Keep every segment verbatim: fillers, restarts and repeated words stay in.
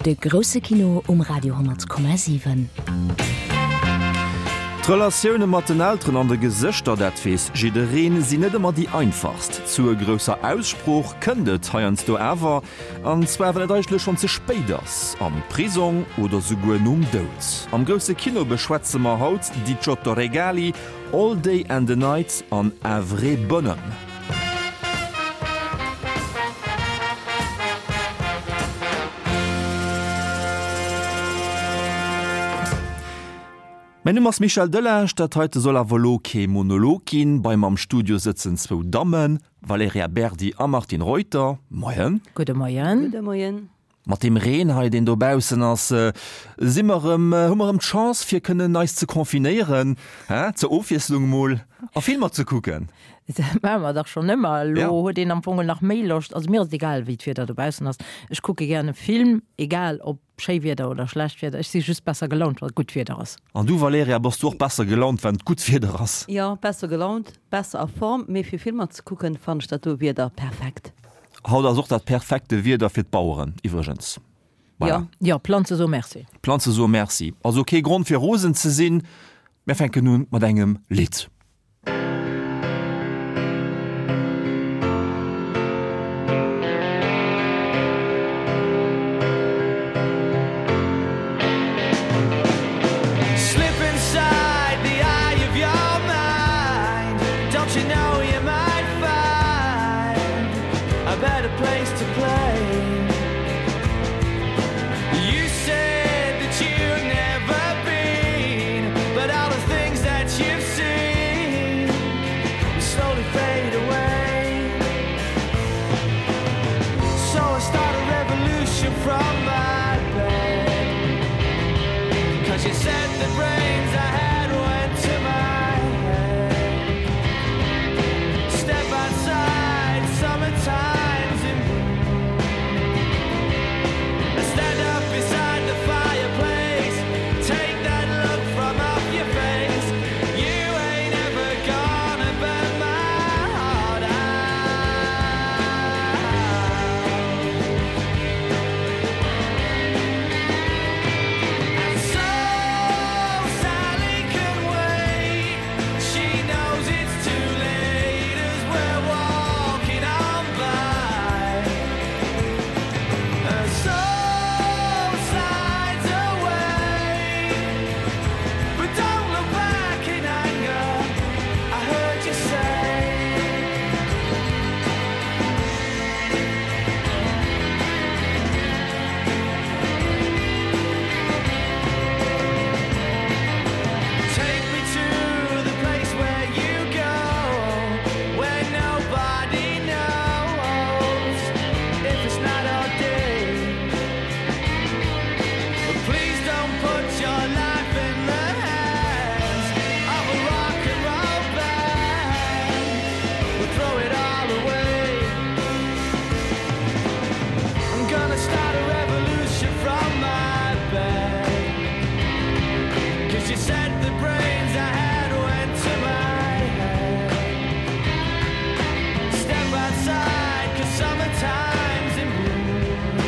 De grousse Kino um Radio honnert Komma siwen. D'Relatioune mat den Elteren an de Gesëschter, dat weess jiddereen, sinn net ëmmer déi einfachst. Zur grousser Aussprooch kënnt et heiansdo awer, an zwar wann et eigentlech schonn ze spéit ass, am Prisong oder souguer nom Doud. Am grousse Kino beschwätze mer haut Diciotto Regali, All Day and a Night an Un vrai bonhomme. Mäin Numm ass Michel Delage, dat heite soll awer elo kee Monolog ginn. Bei mer am Studio sëtzen zwou Dammen, Valerija Berdi a Martine Reuter. Moien. Gudde Moien. Gudde Moien. Mat deem Reen hei, deen dobaussen ass, si mer erëm, hu mer erëm d'Chance fir kënnen eis ze confinéieren, hä, zur Ofwiesslung emol, a Filmer ze kucken. Dat maache mer dach schonn ëmmer. Elo Ja. huet een am Fong nach méi Loscht. Also mir ass et egal, wéi d'Wieder dobaussen ass. Ech kucke gären e Film, egal ob schéi Wieder oder schlecht Wieder. Ech si just besser gelaunt, wa gutt Wieder ass. An du Valerija, bass du och besser gelaunt, wann et gutt Wieder ass? Jo, besser gelaunt, besser a Form, mee fir Filmer ze kucken, fannen ech dat do Wieder perfekt. Haut ass och dat perfekte Wieder fir d'Baueren iwwregens. Voilà. Jo. Jo, Planze soe Merci. Planze soe Merci. Also kee Grond fir rosen ze sinn. Mir fänken un mat engem Lidd. Slip inside the eye of your mind. Don't you know you might find a better place to play? You said that you'd never been, but all the things that you've seen slowly fade away. So I start a revolution from my bed. Cause you said the brains I had went to my head. Step outside, summertime's in bloom. And stand up beside the fireplace. Take that look from off your face. You ain't ever gonna burn my heart out. And so Sally can wait. She knows it's too late as we're walking on by. Her soul slides away. But don't look back in anger. I heard you say. Take me to the place where you go, where nobody knows if it's night or day. But please don't put your life in the hands of a rock and roll band. We'll throw it all away. I'm gonna start a revolution from my bed. Cause you said the brains I had went to my head. Step outside, cause summertime's in bloom.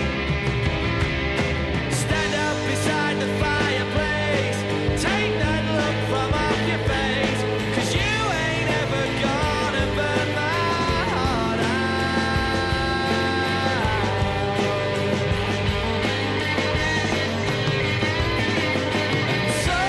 Stand up beside the fireplace. Take that look from off your face. Cause you ain't ever gonna burn my heart out. And so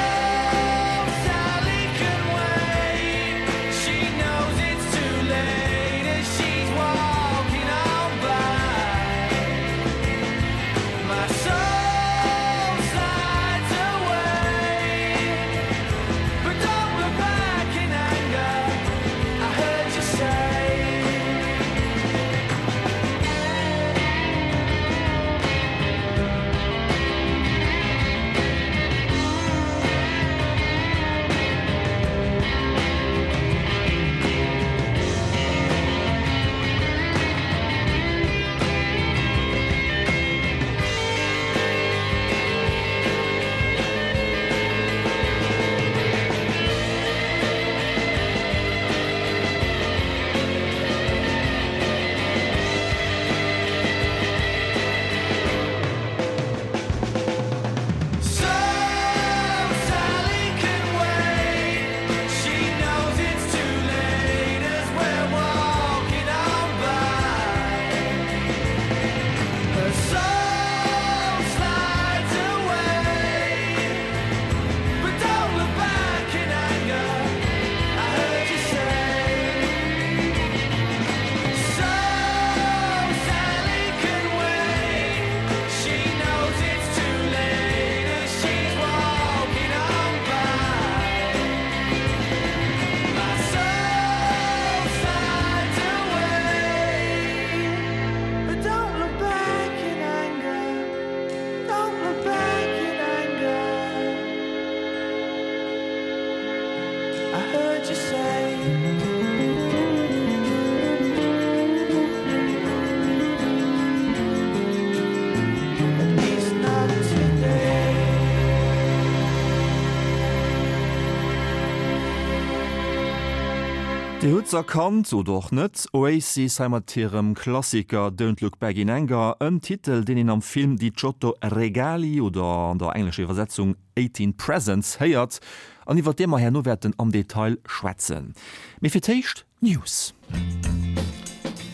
Dir hutt s'erkannt, oder och net, Oasis hei mat hirem Klassiker Don't Look Back in Anger, en Titel, deen een am Film Diciotto Regali oder an der englescher Iwwersetzung Eighteen Presents héiert an iwwer dee mer herno wäerten am Detail schwätzen. Mee fir d'éischt d'News.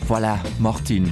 Voilà, Martine,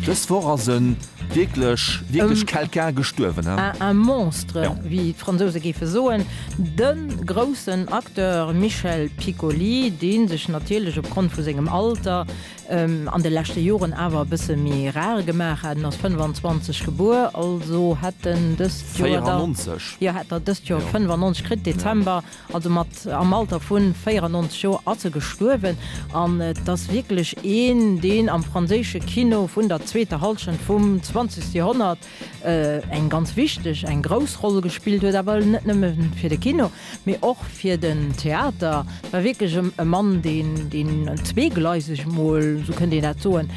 dës Woch ass e wierklech, wierklech quelqu'un gestuerwen, he? Un monstre, wéi d'Fransouse géife soen. De groussen Acteur Michel Piccoli, dee sech natierlech opgrond vu sengem Alter an de leschte Joren awer e bësse méi rar gemaach hat, en ass fënnefanzwanzeg gebuer, also hätt en dëst Joer da, jo, hätt er dëst Joer fënnefannonzeg kritt, Dezember. Also mat am Alter vu véierannonzeg Joer ass e gestuerwen. An et ass wierklech een, deen am franséische Kino vun der zweeter Hallschent vum zwanzegste Joerhonnert eng ganz wichteg, eng grouss Roll gespillt huet. Awer net nëmme fir de Kino, mee och fir den Theater. Et war wierklech e Mann, deen, deen zweegleiseg mol, esou kënnt een dat soen,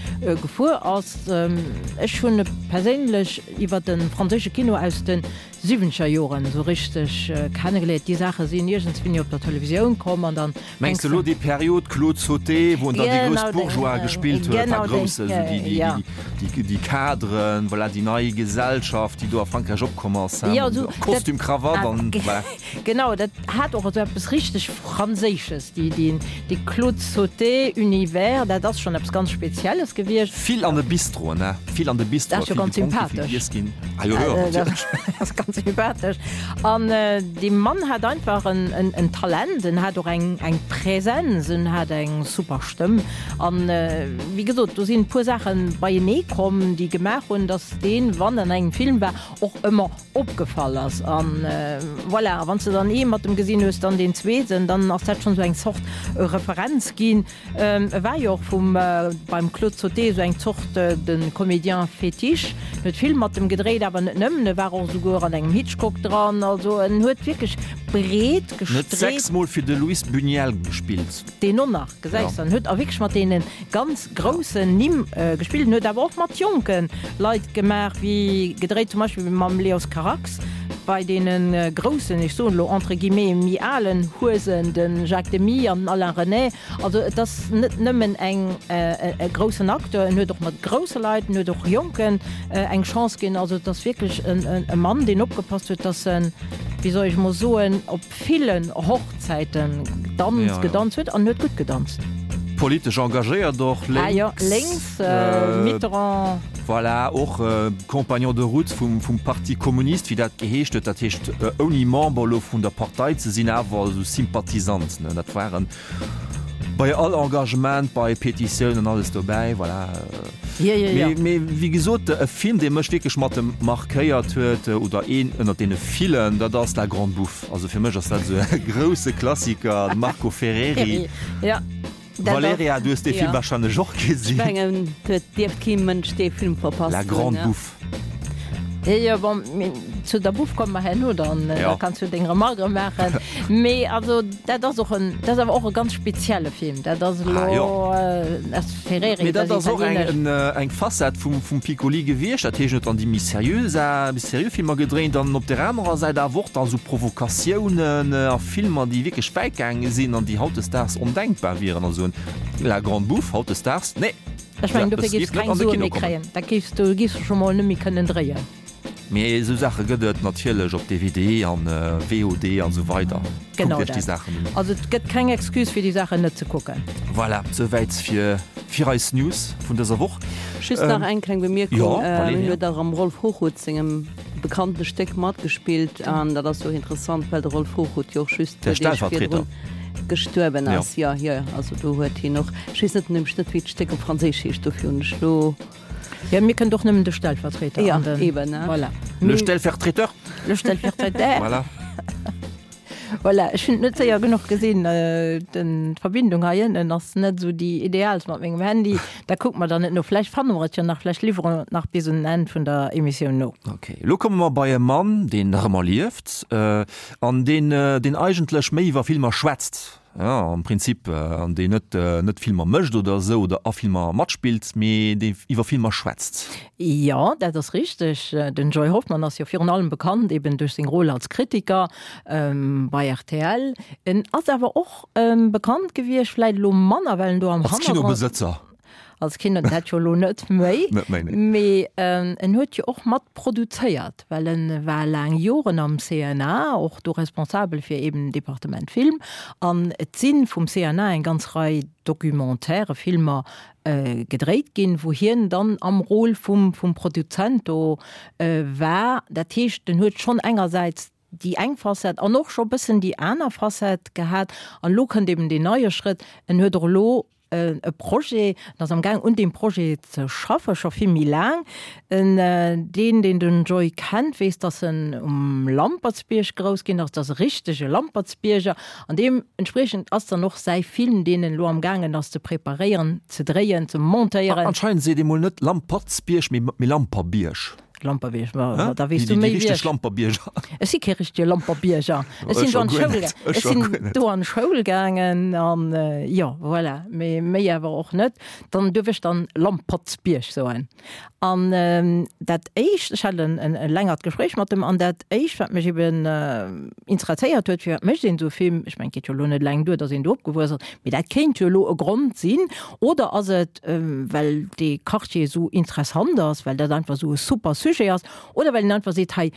gefuer ass. Ech hunn e perséinlech iwwer de franséische Kino aus de Siwwenzeger Joren esou richteg kennegeléiert. Déi Saache sinn iergendswéini op der Televisioun komm an dann Mengs de elo déi Period Claude Sauté, wou en dann déi grouss Bourgeoise gespillt huet, enfin grouss, esou déi, déi, déi, déi Cadren, voilà, déi nei Gesellschaft, déi do a Frankräich opkomm ass, hein, Costume, Krawatt an voilà. Genau, dat hat och esou eppes richteg Franséisches, déi, déi, dee Claude Sauté Univers, dat ass schonn eppes ganz Spezielles gewiescht. Vill an de Bistroen, hein, vill an de Bistroen, vill gedronk, vill giess ginn. Ah jo, jo, natierlech. Ganz sympathesch. An dee Mann hat einfach en Talent, en hat och eng Präsenz, en hat eng super Stëmm. An wéi gesot, do sinn e puer Saache beienee komm, déi gemaach hunn, datt deen, wann en an engem Film war, och ëmmer opgefall ass. An voilà, a wann s de dann ee mat em gesinn hues, dann deen zweeten, dann ass dat schonn esou eng Zort Referenz ginn. E war jo och vum, beim Claude Sauté esou eng Zort de Comédien fétiche. En huet vill mat em gedréit, awer net nëmmen, e war och esouguer an engem Hitchcock dran. Also en huet wierklech breet En huet gestreet. sechs Mol fir de Luis Buñuel gespillt. Deen och nach, gesäis de. En huet a wierklech mat deene ganz groussen Nimm gespillt. En huet awer och mat jonke Leit gemaach, wéi gedréit zum Beispill mam Leos Carax, bei deene groussen, ech soen elo entre guillemets, méi alen Huesen, de Jacques Demy an den Alain Resnais. Also et ass net nëmmen eng e groussen Acteur, en huet och mat grousse Leit, en huet och Jonken eng Chance ginn. Also et ass wierklech e Mann, deen opgepasst huet, datt en, wéi soll ech emol soen, op villen Hochzäiten gedanzt, gedanzt huet an huet gutt gedanzt. Politesch engagéiert och, lénks. Ah jo, lénks, Mitterrand. Voilà, och Compagnon de route vum Parti communiste, wéi dat geheescht huet. Dat heescht, ouni Member elo vun der Partei ze sinn, awer esou Sympathisant, ne. Dat waren bei all Engagement, bei Petitiounen, alles dobäi, voilà. Jo, jo, jo. Mee, mee wéi gesot, e Film, dee mech wierklech mat em markéiert huet, oder een ënnert deene villen, dat ass La Grande Bouffe. Also fir mech ass dat esou e grousse Klassiker, de Marco Ferreri. Ja. Dat Valerija, du hues dee Film wahrscheinlech och gesinn. Ech mengen, et dierft kee Mënsch dee Film verpasst hunn. La Grande Bouffe. Jo, jo, bon, mee zu der Bouffe komme mer herno dann, da kanns du deng Remarque maachen. Mee also dat ass och en, dat ass awer och e ganz spezielle Film. Dat ass elo, ass Ferreri, Mee dat ass och eng, eng Facette vum, vum Piccoli gewiescht. Dat heescht, en huet dann déi méi seriö Sa, méi seriö Filmer gedréint an op där anerer Säit awer och da sou Provokatiounen a Filmer, déi wierklech wäit gaange sinn an déi hautdesdaags ondenkbar wieren. Also en La Grande Bouffe hautdesdaags, nee! Ech mengen, dofir géifs keng Sue méi kréien. Dat géifs du, géifs du scho mol net méi kënnen dréien. Mee esou Saache gëtt et natierlech op D V D an V O D an esou weider. Genau Kuckt iech déi dat. Saachen un. Also et gëtt keng Excuse fir déi Saachen net ze kucken. Voilà, souwäit fir fir eis News vun dëser Woch. Just nach eng kleng Bemierkung, Jo, Hien Valerija. huet och am Rolf Hochhuth sengem bekannte Stéck matgespillt an dat ass jo och interessant, well de Rolf Hochhuth jo och just Der puer Deeg Stellvertreter. virdrun gestuerwen ass. Jo, jo, also do huet hien och, ech weess net nämlech net wéi d'Stéck op Franséisch heescht, dofir hunn ech lo. Jo, mir kënnt och nëmmen de Stellvertreter Ja, an den, eben, ne? Voilà. Le Stellvertreter. Le Stellvertreter. Voilà. Voilà, ech hunn et net séier genuch gesinn, den, d'Verbindung hei ënnen ass net esou déi idealst mat mengem Handy. Da kucke mer dann et no. Vläicht fanne mer et jo nach, vläicht liwwere mer et nach bis un den Enn vun der Emissioun no. Ok, elo komme mer bei e Mann, deen nach ëmmer lieft, an deen, deen eigentlech méi iwwer Filmer schwätzt, ja, am Prinzip, an deen net net Filmer mécht oder esou oder a Filmer matspillt, mee dee iwwer Filmer schwätzt. Jo, dat ass richteg. Den Joy Hoffmann ass jo virun allem bekannt eben duerch seng Rôle als Kritiker bei rtl. En ass awer och bekannt gewiescht, vläit elo manner, well en do am Als Hannergrond. Kinobesëtzer. Als Kino, dat jo elo net méi. Net méi, nee. Mee en huet jo och mat produzéiert, well en war laang Joren am CNA, och do responsabel fir eben Departement Film. An et si vum CNA eng ganz Rei Documentaire, Filmer gedréit ginn, wou hien dann am Rôle vum vum Produzent do war. Dat heescht, en huet schonn engersäits déi eng Facette an och scho bëssen déi aner Facette gehat. An elo kënnt eben deen neie Schrëtt, en huet och elo e Projet, en ass am Gaang un deem Projet ze schaffen, scho vill méi laang. En, deen, deen den Joy kennt, weess, dass en um Lampertsbierg grouss ginn ass, dat ass e richtege Lampertsbierger. An deementspriechend ass dann och säi Film, deen en elo am gaangen ass ze preparéieren, ze dréien, ze montéieren. Anscheinend seet ee mol net Lampertsbierg, mee Lamperbierg. Lamperbierg, ma da weess du méi wéi ech. Lamperbierger. Ech si kee richtege Lamperbierger. Ech sinn do an d'Schoul gaangen. Ech sinn do an d'Schoul gaangen an jo, voilà, mee méi awer och net. Dann duerf ech dann Lampertsbierg soen. An dat éischt, ech hat en e längert Gespréich mat em, an dat éischt, wat mech eben interesséiert huet, firwat mécht een esou e Film, ech mengen, et geet jo elo net eleng duer, datt een do opgewuess ass, mee dat kéint jo elo e Grond sinn, oder ass et, well dee Quartier esou interessant ass, well dat einfach esou e super Sujet ass, oder well een einfach seet, hei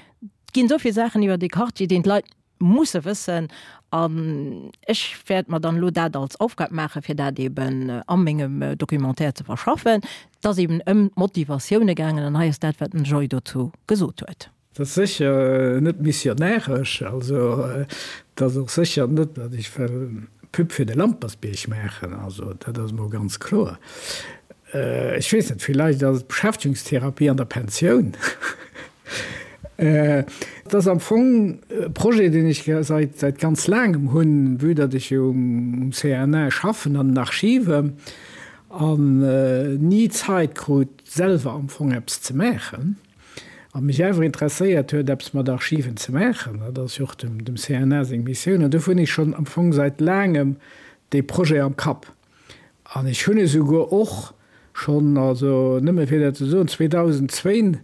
ginn esou vill Saachen iwwer dee Quartier, deen d'Leit musse wëssen, an ech wäert mer dann elo dat als Aufgab maachen, fir dat eben a mengem Documentaire ze verschaffen. Et ass eben ëm d'Motivatioune gaangen, an hei ass dat, wat den Joy dozou gesot huet. Et ass sécher net missionäresch, also et ass och sécher net, datt ech wëll Pub fir de Lampersbierg maachen, also dat ass emol ganz kloer. Ech weess net, villäicht ass et Beschäftegungstherapie an der Pensioun. Et ass am Fong e Projet, deen ech säit säit ganz laangem hunn, vue datt ech jo um CNA schaffen an den Archiven an ni Zait krut, selwer am Fong eppes ze maachen. A mech awer interesséiert huet, eppes mat Archiven ze maachen, dat ass jo och dem CNA seng Missioun, an dofir hunn ech schonn am Fong säit laangem dee Projet am Kapp. An ech hunn esouguer och schonn, also nëmme fir dat ze soen, zweedausendzwéin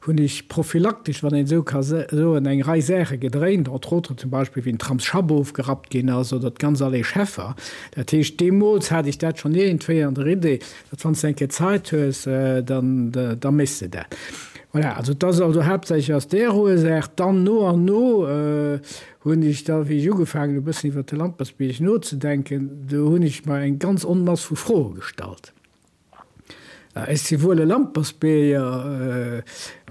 hunn ech prophylaktesch, wann een esou ka soen, eng Rei Saache gedréint, entre autres zum Beispill wéi den Tramsschapp ofgerappt ginn ass oder d'ganz Allée Scheffer. Dat heescht, deemools hat ech dat schonn iergendwéi an der Idee, datt wann s de eng Kéier Zait hues, dann da méchs de dat. Voilà, also et ass also haaptsächlech aus där Ursaach. Dann no an no hunn ech da, wéi ech ugefaangen hu bëssen iwwert de Lampertsbierg nozedenken, do hunn ech mer eng ganz Onmass vu Froe gestallt. Ech si wuel e Lampertsbierger,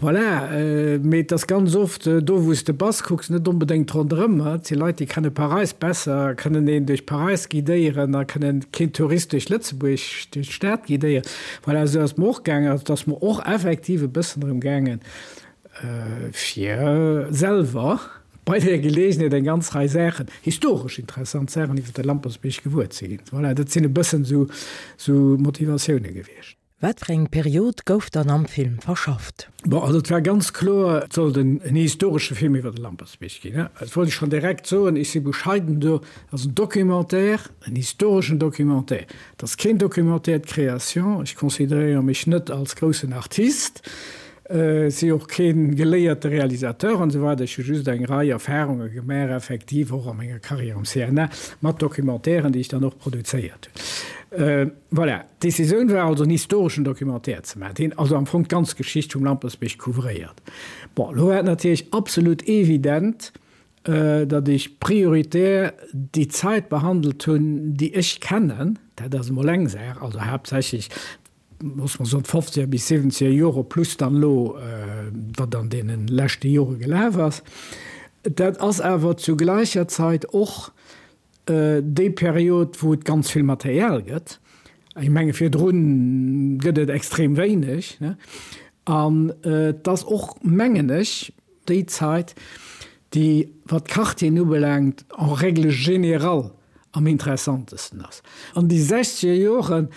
voilà, mee et ass ganz oft, do wou s de bass, kucks net onbedéngt ronderëm. Et si Leit, déi kenne Paräis besser, kënnen een duerch Paräis guidéieren a kënnen keen Tourist duerch Lëtzebuerg, duerch d'Stad guidéieren. Voilà, esou ass et mer och gaangen. Also et ass mer och effektiv e bëssen drëm gaangen, fir selwer bei där Geleegenheet eng ganz Rei Saachen, historesch interessant Saachen iwwer de Lampertsbierg gewuer ze ginn. Voilà, dat sinn e bëssen esou Motivatioune gewiescht. Wat fir eng Period gouf dann am Film verschafft? Bon, also et war ganz kloer, et sollt en historesche Film iwwer de Lampertsbierg ginn. Dat wollt ech schonn direkt soen, ech si bescheiden do, et ass en Documentaire, en historeschen Documentaire. Et ass keen Documentaire de création, ech consideréiere mech net als groussen Artist, ech si och kee geléierte Realisateur an esou weider, ech hu just eng Rei Erfarunge gemaach, effektiv och a menger Carrière um CNA, mat Documentairen, déi ech dann och produzéiert hunn. Voilà, d'Decisioun war also en historeschen Documentaire ze maachen, deen also am Fong d'ganz Geschicht vum Lampertsbierg couvréiert. Bon, elo war et natierlech absolut evident, datt ech prioritär déi Zait behandelt hunn, déi ech kennen, dat ass emol eng Saach, also haaptsächlech, loosse mer soen, d'fofzeger bis siwwenzeger Jore plus dann elo, wat an deene leschte Jore gelaf ass. Dat ass awer zu gläicher Zait och déi Period, wou et ganz vill Material gëtt. Ech menge virdru gëtt et extrem wéineg. An et ass och, mengen ech, déi Zait, déi, wat d'Quartieren ubelaangt, en règle générale am interessantesten ass. An déi sechzeger Joren,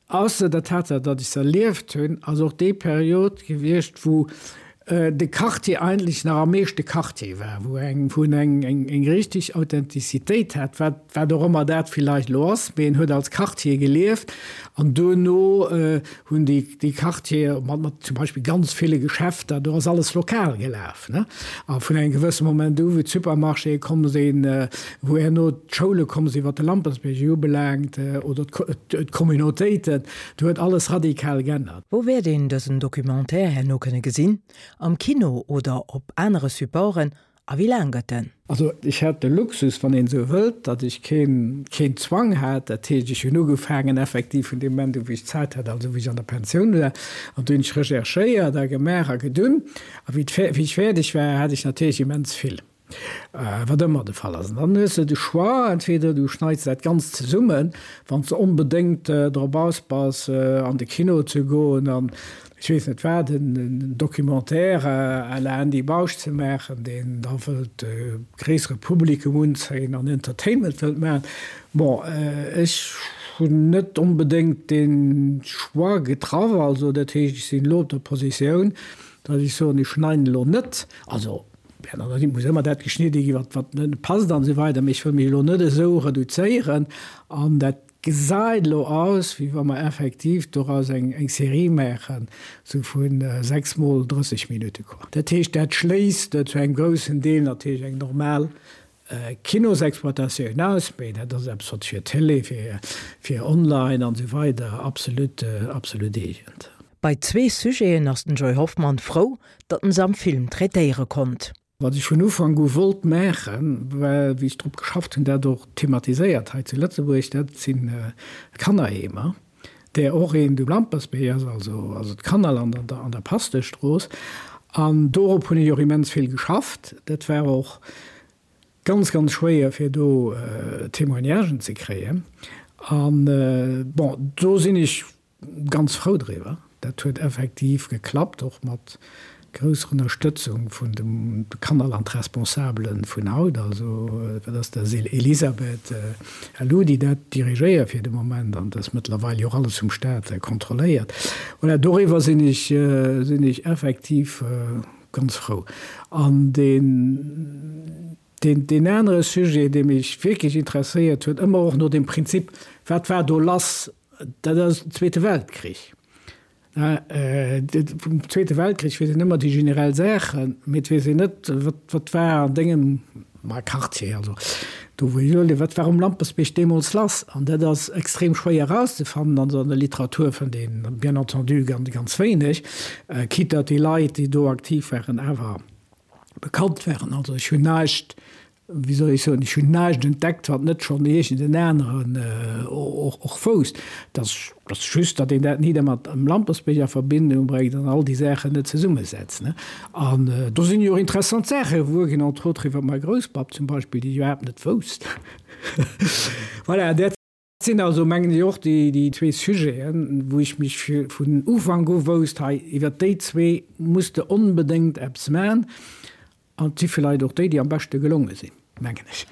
Ausser der Tatsaach, datt ech se erlieft hunn, ass och déi Period gewiescht, wou de Quartier eigentlech nach am meeschte Quartier war, wou eng, wou en eng, eng, eng richtig Authentizitéit hat, wat, wat och ëmmer dat villäicht elo ass, mee en huet als Quartier gelieft an duerno hunn déi, déi Quartiere mat, mat zum Beispill ganz ville Geschäfter, do ass alles lokal gelaf, ne? A vun engem gewësse Moment u wou d'Supermarchéë komm sinn, wou herno d'Schoule komm sinn, wat de Lampertsbierg ubelaangt, oder d'Communautéiten, do huet alles radikal geännert. Wou wäert een dësen Documentaire herno kënne gesinn? Am Kino oder op anere Supporten? A wéi laang gëtt en? Also ech hat de Luxus, wann een esou wëllt, datt ech keen, keen Zwang hat. Dat heescht, ech hunn ugefaangen effektiv vun deem Moment u wou ech Zäit hat, also wou ech an der Pensioun war, an du hunn ech recherchéiert a gemaach a gedunn. A wéi wéi ech fäerdeg war, hat ech natierlech immens vill. Wat ëmmer de Fall ass. An dann hues de de Choix, entweder du schneits dat Ganzt zesummen, wann s de onbedéngt drop aus bass, an de Kino ze goen an, ech weess net wat, en Documentaire à la Andy Bausch ze maachen, deen da wëllt e gréissere Publikum unzéien an Entertainment wëllt maachen. Bon, ech hunn net onbedéngt dee Choix getraff. Also dat heescht, ech sinn elo op der Positioun, datt ech soen, ech schneiden elo net, also, Bien entendu muss ëmmer dat geschnidde gi wat wat net passt an esou weider, mee ech wëll mech elo net esou reduzéieren an dat gesäit elo aus, wéi wa mer effektiv doraus eng eng Serie maachen, esou vu sechs mol drësseg Minutte quoi. Dat heescht, dat schléisst zu engem groussen Deel natierlech eng normal Kinosexploitatioun aus, mee dat ass eppes wat fir Télé, fir fir online an esou weider absolut absolut eegent. Bei zwee Sujeten ass den Joy Hoffmann frou, datt en se am Film traitéiere konnt. Wat ech vun Ufank u wollt maachen, well wéi ech drop geschafft hunn, dat och thematiséiert hei zu Lëtzebuerg, dat sinn d'Kannerheemer, där och eent um Lampertsbierg ass, also also d'Kannerland an der an der Pasteurstrooss. An dorop hunn ech och immens vill geschafft. Dat war och ganz, ganz schwéier, fir do Témoignagen ze kréien. An bon, do sinn ech Ganz frou driwwer. Dat huet effektiv geklappt, och mat grousser Ënnerstëtzung vun de Kannerland-Responsabele vun haut, also dat ass der Elisabeth Helou, déi dat dirigéiert fir de Moment, an dat ass mëttlerweil jo och alles vum Staat kontrolléiert. Voilà, doriwwer sinn ech, sinn ech effektiv ganz frou. An deen, deen, deen anere Sujet, dee mech wierklech interesséiert huet, ëmmer och no dem Prinzip, wat war do lass Dat ass den Zweete Weltkrich. Vum Zweete Weltkrich weess een ëmmer déi generell Saachen, mee et weess een net, wat war an dengem Quartier, also do wou ech elo liewen, wat war um Lampertsbierg deemools lass. An dat ass extrem schwéier erauszefannen. An an der Literatur fënnt een bien entendu ganz, ganz wéineg, quitte datt déi Leit, déi do aktiv waren, awer bekannt waren. Also ech hunn näischt wéi soll ech soen, ech hunn näischt entdeckt, wat net schonn iergend en aneren och wousst. Et ass just, datt een dat ni da mat dem Lampertsbierg a Verbindung bréngt an all déi Saachen net zesummesetzt. An do sinn jo och interessant Saache gewuer ginn, entre autres iwwer mäi Grousspapp zum Beispill, déi ech iwwerhaapt net wousst. Voilà, dat sinn also, mengen ech, och déi zwee Sujeten, wou ech mech vun Ufank u wousst, hei iwwer déi zwee muss de onbedéngt eppes maachen. An et si villäit och déi, déi am beschte gelonge sinn, mengen ech.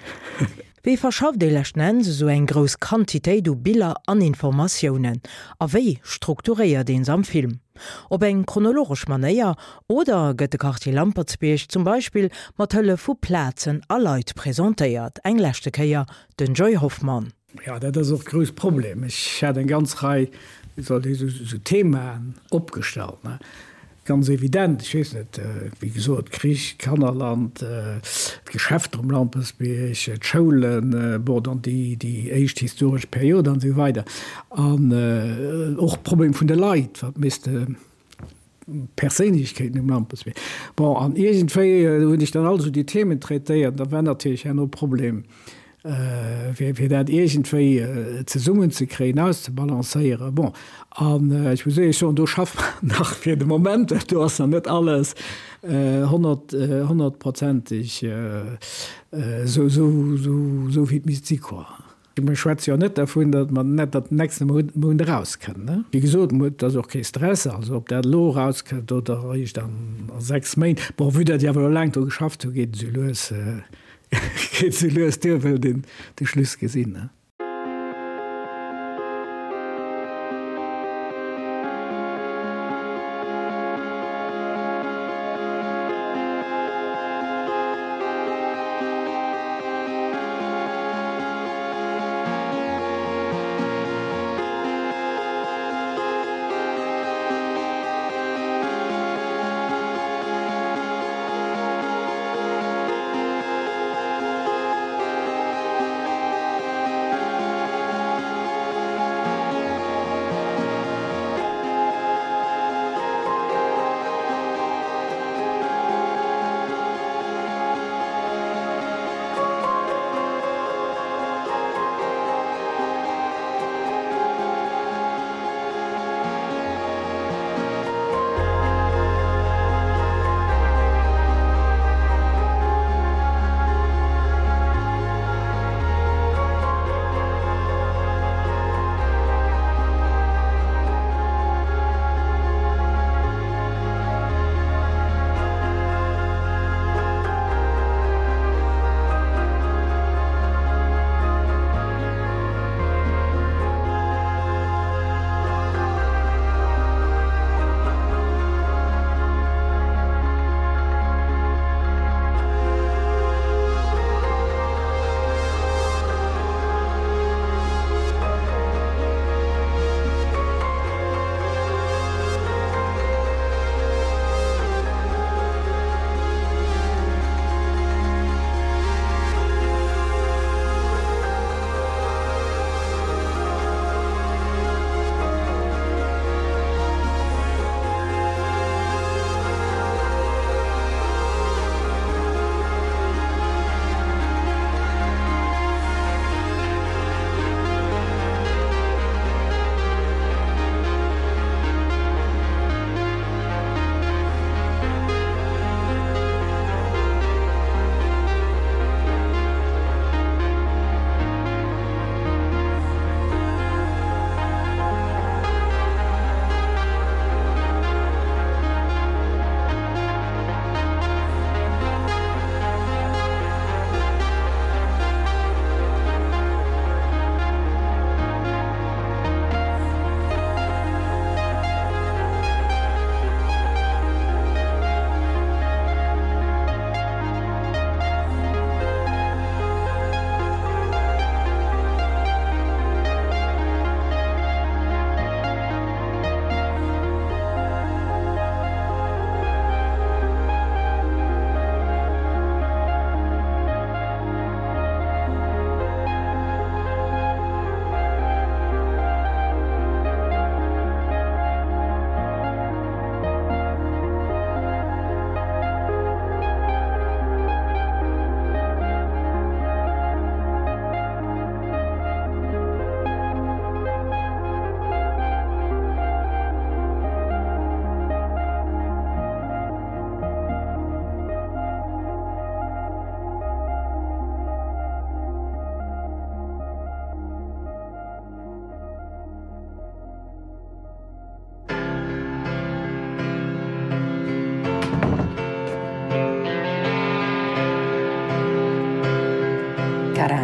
Wéi verschafft ee leschten Enns esou eng grouss Quantitéit u Biller an Informatiounen? A wéi strukturéiert een se am Film? Op eng chronologesch Manéier oder gëtt de Quartier Lampertsbierg zum Beispill mat Hëllef vu Plazen a Leit presentéiert? Eng leschte Kéier den Joy Hoffmann. Jo, dat ass och e grouss Problem. Ech hat eng ganz Rei, wéi soll ech soen, esou Themaen opgestallt, ne. Ganz evident, ech weess net, wéi gesot, Krich, Kannerland, d'Geschäfter um Lampertsbierg, d'Schoulen, bon, dann déi, déi éischt historesch Period an esou weider. An och d'Problem vun de Leit, wat misste Perséinlechkeeten um Lampertsbierg. Bon, an iergendwéi hunn ech dann alt esou déi Themen traitéiert. Da war natierlech herno Problem, fir dat iergendwéi zesummenzekréien, auszebalancéieren. Bon, an ech muss éierlech soen, do schaffe mer nach fir de Moment, do ass nach net alles honnert, honnertprozenteg esou, esou wéi et misst si quoi. Mir schwätze jo net dervun, datt mer net dat den nächste Mount erauskënnt. Wéi gesot, et ass och kee Stress, also ob dat elo erauskënnt oder eréischt an sechs Méint. Bon, vue datt déi awer elo laang dru geschafft hunn, geet et esou lues, geet esou lues duer, wëllt een de Schluss gesinn.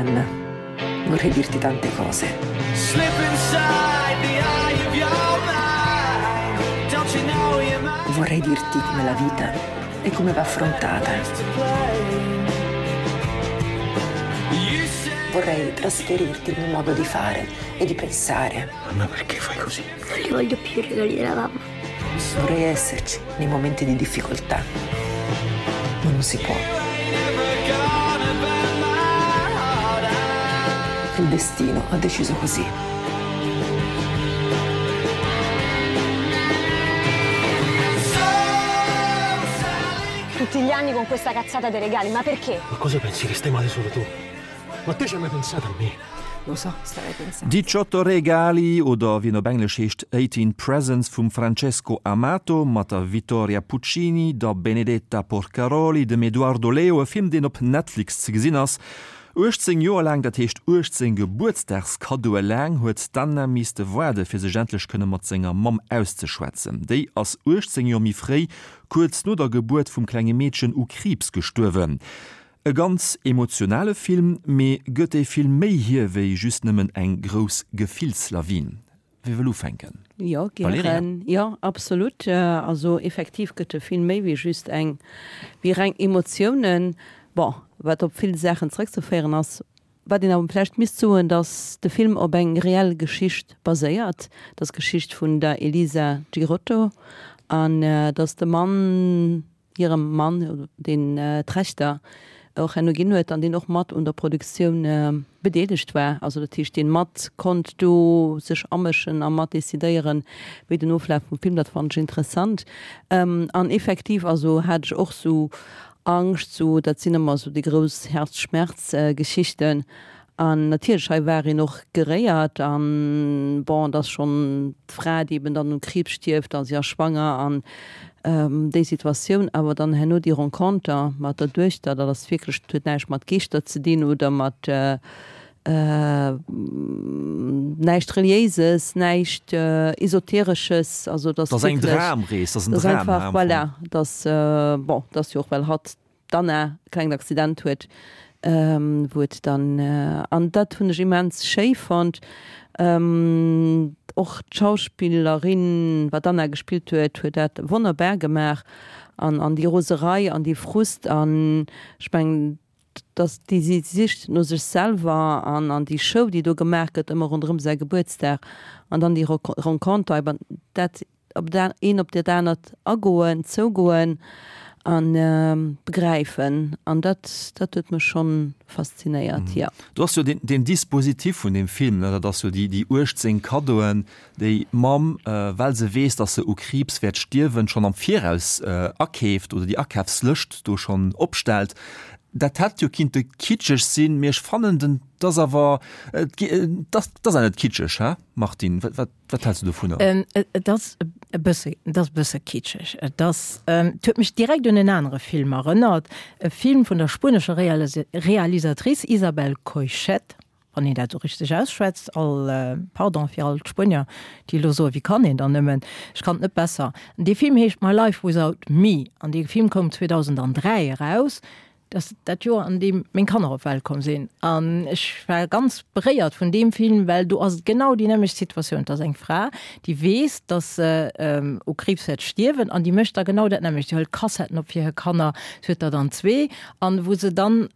Anna, vorrei dirti tante cose. Slip inside the eye of your mind. Don't you know you're mine? Vorrei dirti com'è la vita e come va affrontata. You say Vorrei trasferirti il mio modo di fare e di pensare. Anna, perché fai così? Non li voglio più i regali della mamma. Vorrei esserci nei momenti di difficoltà. Ma non si può. never gonna burn my heart out. Il destino ha deciso così. Tutti gli anni con questa cazzata dei regali, ma perché? Ma cosa pensi che stai male solo tu? Ma te ci hai mai pensato a me? Lo so, starei pensando. Diciotto regali, oder wéi en op Englesch heescht Eighteen Presents vum Francesco Amato mat der Vittoria Puccini, der Benedetta Porcaroli, dem Edoardo Leo, e Film deen op Netflix ze gesinn ass. Uechtzéng Joer laang, dat heescht uechtzéng Gebuertsdagskaddoe laang, huet d'Anna misste waarde fir sech endlech kënne mat senger Mamm auszeschwätzen. Déi ass uechtzéng Joer méi fréi, kuerz no der Gebuert vum klenge Meedchen, u Kriibs gestuerwen. E ganz emotionale Film, mee gëtt dee Film méi hier wéi just nëmmen eng grouss Gefillslawin? Wie wëll ufänken? Jo, Valerija? gären. Jo, absolut. Also effektiv gëtt de Film méi wéi just eng, wéi reng Emotiounen. Bon, wat op vill Saachen zréckzeféieren ass. Wat een awer vläicht misst soen, datt de Film op eng reell Geschicht baséiert, dat ass d'Geschicht vun der Elisa Girotto, an datt de Mann, hirem Mann, deen d'Rechter och herno ginn huet an deen och mat un der Produktioun bedeelegt war, also dat heescht, deen mat konnt do sech amëschen a mat decidéieren, wéi den Oflaf vum Film, dat fannen ech interessant. An effektiv, also hat ech och sou Angscht, sou dat sinn ëmmer sou déi grouss Herzschmerz-Geschichten. An natierlech, hei war een och geréiert an, bon, et ass schonn d'Fra, déi eben dann u Kriibs stierft a si ass schwanger an déi Situatioun. Awer dann herno déi Renconter mat der Duechter, dat ass wierklech, dat huet näischt mat Geeschter ze dinn oder mat näischt Reliéises, näischt Esoteresches, also dat ass Dat ass eng wierklech, Dramrees, dat ass en dat ass Dram, einfach, am Fong. voilà, dat ass, bon, dat ass jo och well hatt, d'Anna, e klengt Accident huet, wou et dann, an dat hunn ech immens schéi fonnt. Och d'Schauspillerin, wat d'Anna gespillt huet, huet dat wonnerbar gemaach an, an déi Roserei an dee Frust an ech mengen, dass déi si sicht no sech selwer an an déi Show, déi do gemaach gëtt ëmmer ronderëm säi Gebuertsdag an dann déi Renconter, eben dat op dat een op dat anert agoen, zougoen an begräifen an dat dat huet mech schonn faszinéiert, jo. Do ass jo deen deen Dispositif vun deem Film, ne, dat ass jo déi déi uechtzéng Kaddoen, déi d'Mamm, well se weess, dass se u Kriibs wäert stierwen, schonn am Viraus akeeft oder déi Akafslëscht do schonn opstellt. Dat hätt jo kinnte kitscheg sinn, mee ech fannen den, 't ass awer, et 't ass, 't ass awer net kitscheg, hä Martine? Wat, wat, wat häls du dovunner? Et ass e bësse, et ass e bësse kitscheg. Et ass, et huet mech direkt un en anere Film erënnert, e Film vun der spuenescher Realisatrice Isabel Coixet, wann een dat esou richteg ausschwätzt, all Pardon fir all d'Spuenier, déi elo soen, wéi kann een dann nëmmen, ech kann et net besser. Dee Film heescht My Life Without Me an dee Film koum zweedausenddräi eraus. Dat ass dat Joer, an deem meng Kanner op d'Welt komm sinn. An ech war ganz beréiert vun deem Film, well do ass et genau déi nämmlecht Situatioun. Et ass eng Fra, déi weess, datt se u Kriibs wäert stierwen, an déi mécht da genau dat nämmlecht. Déi hëlt Kassetten op fir hir Kanner, si huet der dann zwee, an wou se dann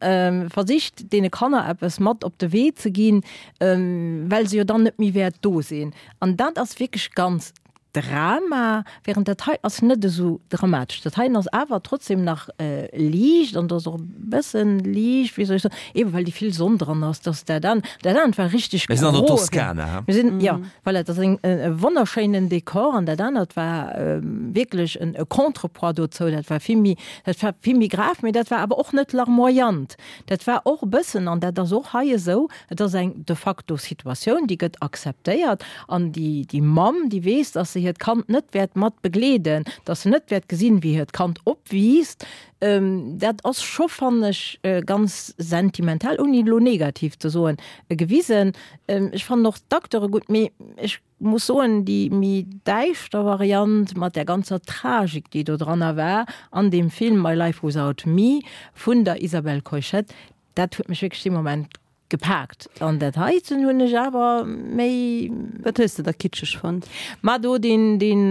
versicht, deene Kanner eppes mat op de Wee ze ginn, well se jo dann net méi wäert do sinn. An dat ass wierklech ganz Drama, während dat hei ass net esou dramatesch. Dat heien ass awer trotzdem nach liicht an ass och e bëssen liicht, wéi soll ech soen, eben well déi vill Sonn dran ass, dass dat an dat anert war richteg Mir sinn an der gro. Toskana, he? Mir sinn, jo, voilà, dat ass eng e wonnerschéinen Dekor an dat anert war wierklech en e Contrepoids dozou. Dat war vill méi, dat war vill méi grav, mee dat war awer och net larmoyant. Dat war och e bëssen, an dat ass och hei esou, et ass eng de facto Situatioun, déi gëtt akzeptéiert an déi déi Mamm, déi weess, dass se hiert Kand net wäert mat begleeden, dass se net wäert gesinn, wéi hiert Kand opwiisst, dat ass scho, fannen ech, ganz sentimental, ouni elo negativ ze soen, gewisen. Ech fannen och d'Acteure gutt, mee ech muss soen, déi méi däischter Variant mat där ganzer Tragik, déi do dranner war an deem Film My Life Without Me vun der Isabelle Coixet, dat huet mech wierklech dee Moment gepaakt. An dat heiten hunn ech awer méi. Wat hues de da kitscheg fonnt? Ma do deen, deen,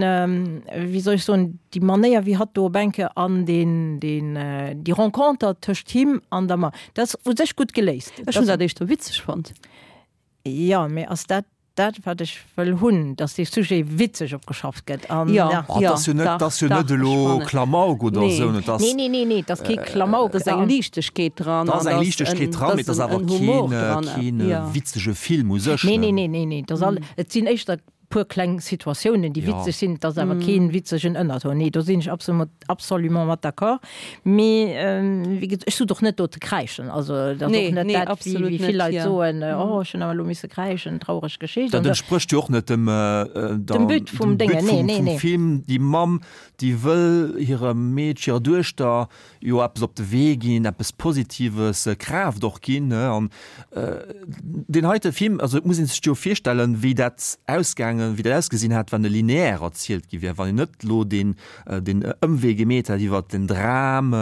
wéi soll ech soen, déi Manéier wéi hatt do op eng Kéier an deen, deen, déi Renconter tëscht him an der Ma, dat ass u sech gutt geléist. Ech hunn dat éischter witzeg fonnt. Jo, mee ass dat dat wat ech wëll hunn, dass dee Sujet witzeg opgeschafft gëtt an Jo, ja. Oh, jo, dat ass jo net, dach, dat ass jo dach, net ech elo fannen. Klamauk oder Nee. esou, et ass. Nee, nee, nee, nee, et ass kee Klamauk. Et ass eng Liichtegkeet dran Da ass an eng et ass Liichtegkeet en, dran, et mee et ass ass en, awer en Humor keen, dran. keen Jo. witzege Film u sech, Nee, ne? nee, nee, nee, nee, et ass all, et sinn éischter puer kleng Situatiounen, déi Ja. witzeg sinn, et ass awer keen witzegen Ënnerton. Nee, do sinn ech absolut, absolument mat d'accord. Mee wéi gesot, ech sot och net do ze kräischen, also dat ass Nee, och net nee, dat, wéi, absolut wéi net, vill Leit ja. soen, oh, ech hunn awer elo misse kräischen, traureg Geschicht. Dat An da, entsprécht jo och net dem, äh, dem But vum dem But Déngen, nee, vum, nee, vum nee. Film. Déi Mamm, déi wëll hirem Meedchen, hirer Duechter jo eppes op de Wee ginn, eppes Positives, Kraaft och ginn, ne? An deen heite Film, also et muss een sech jo virstellen, wéi dat ausgaangen, wéi dat ausgesinn hätt, wann e lineär erzielt gi wär, wann een net elo deen, deen Ëmwee gemeet hätt iwwert den Dram,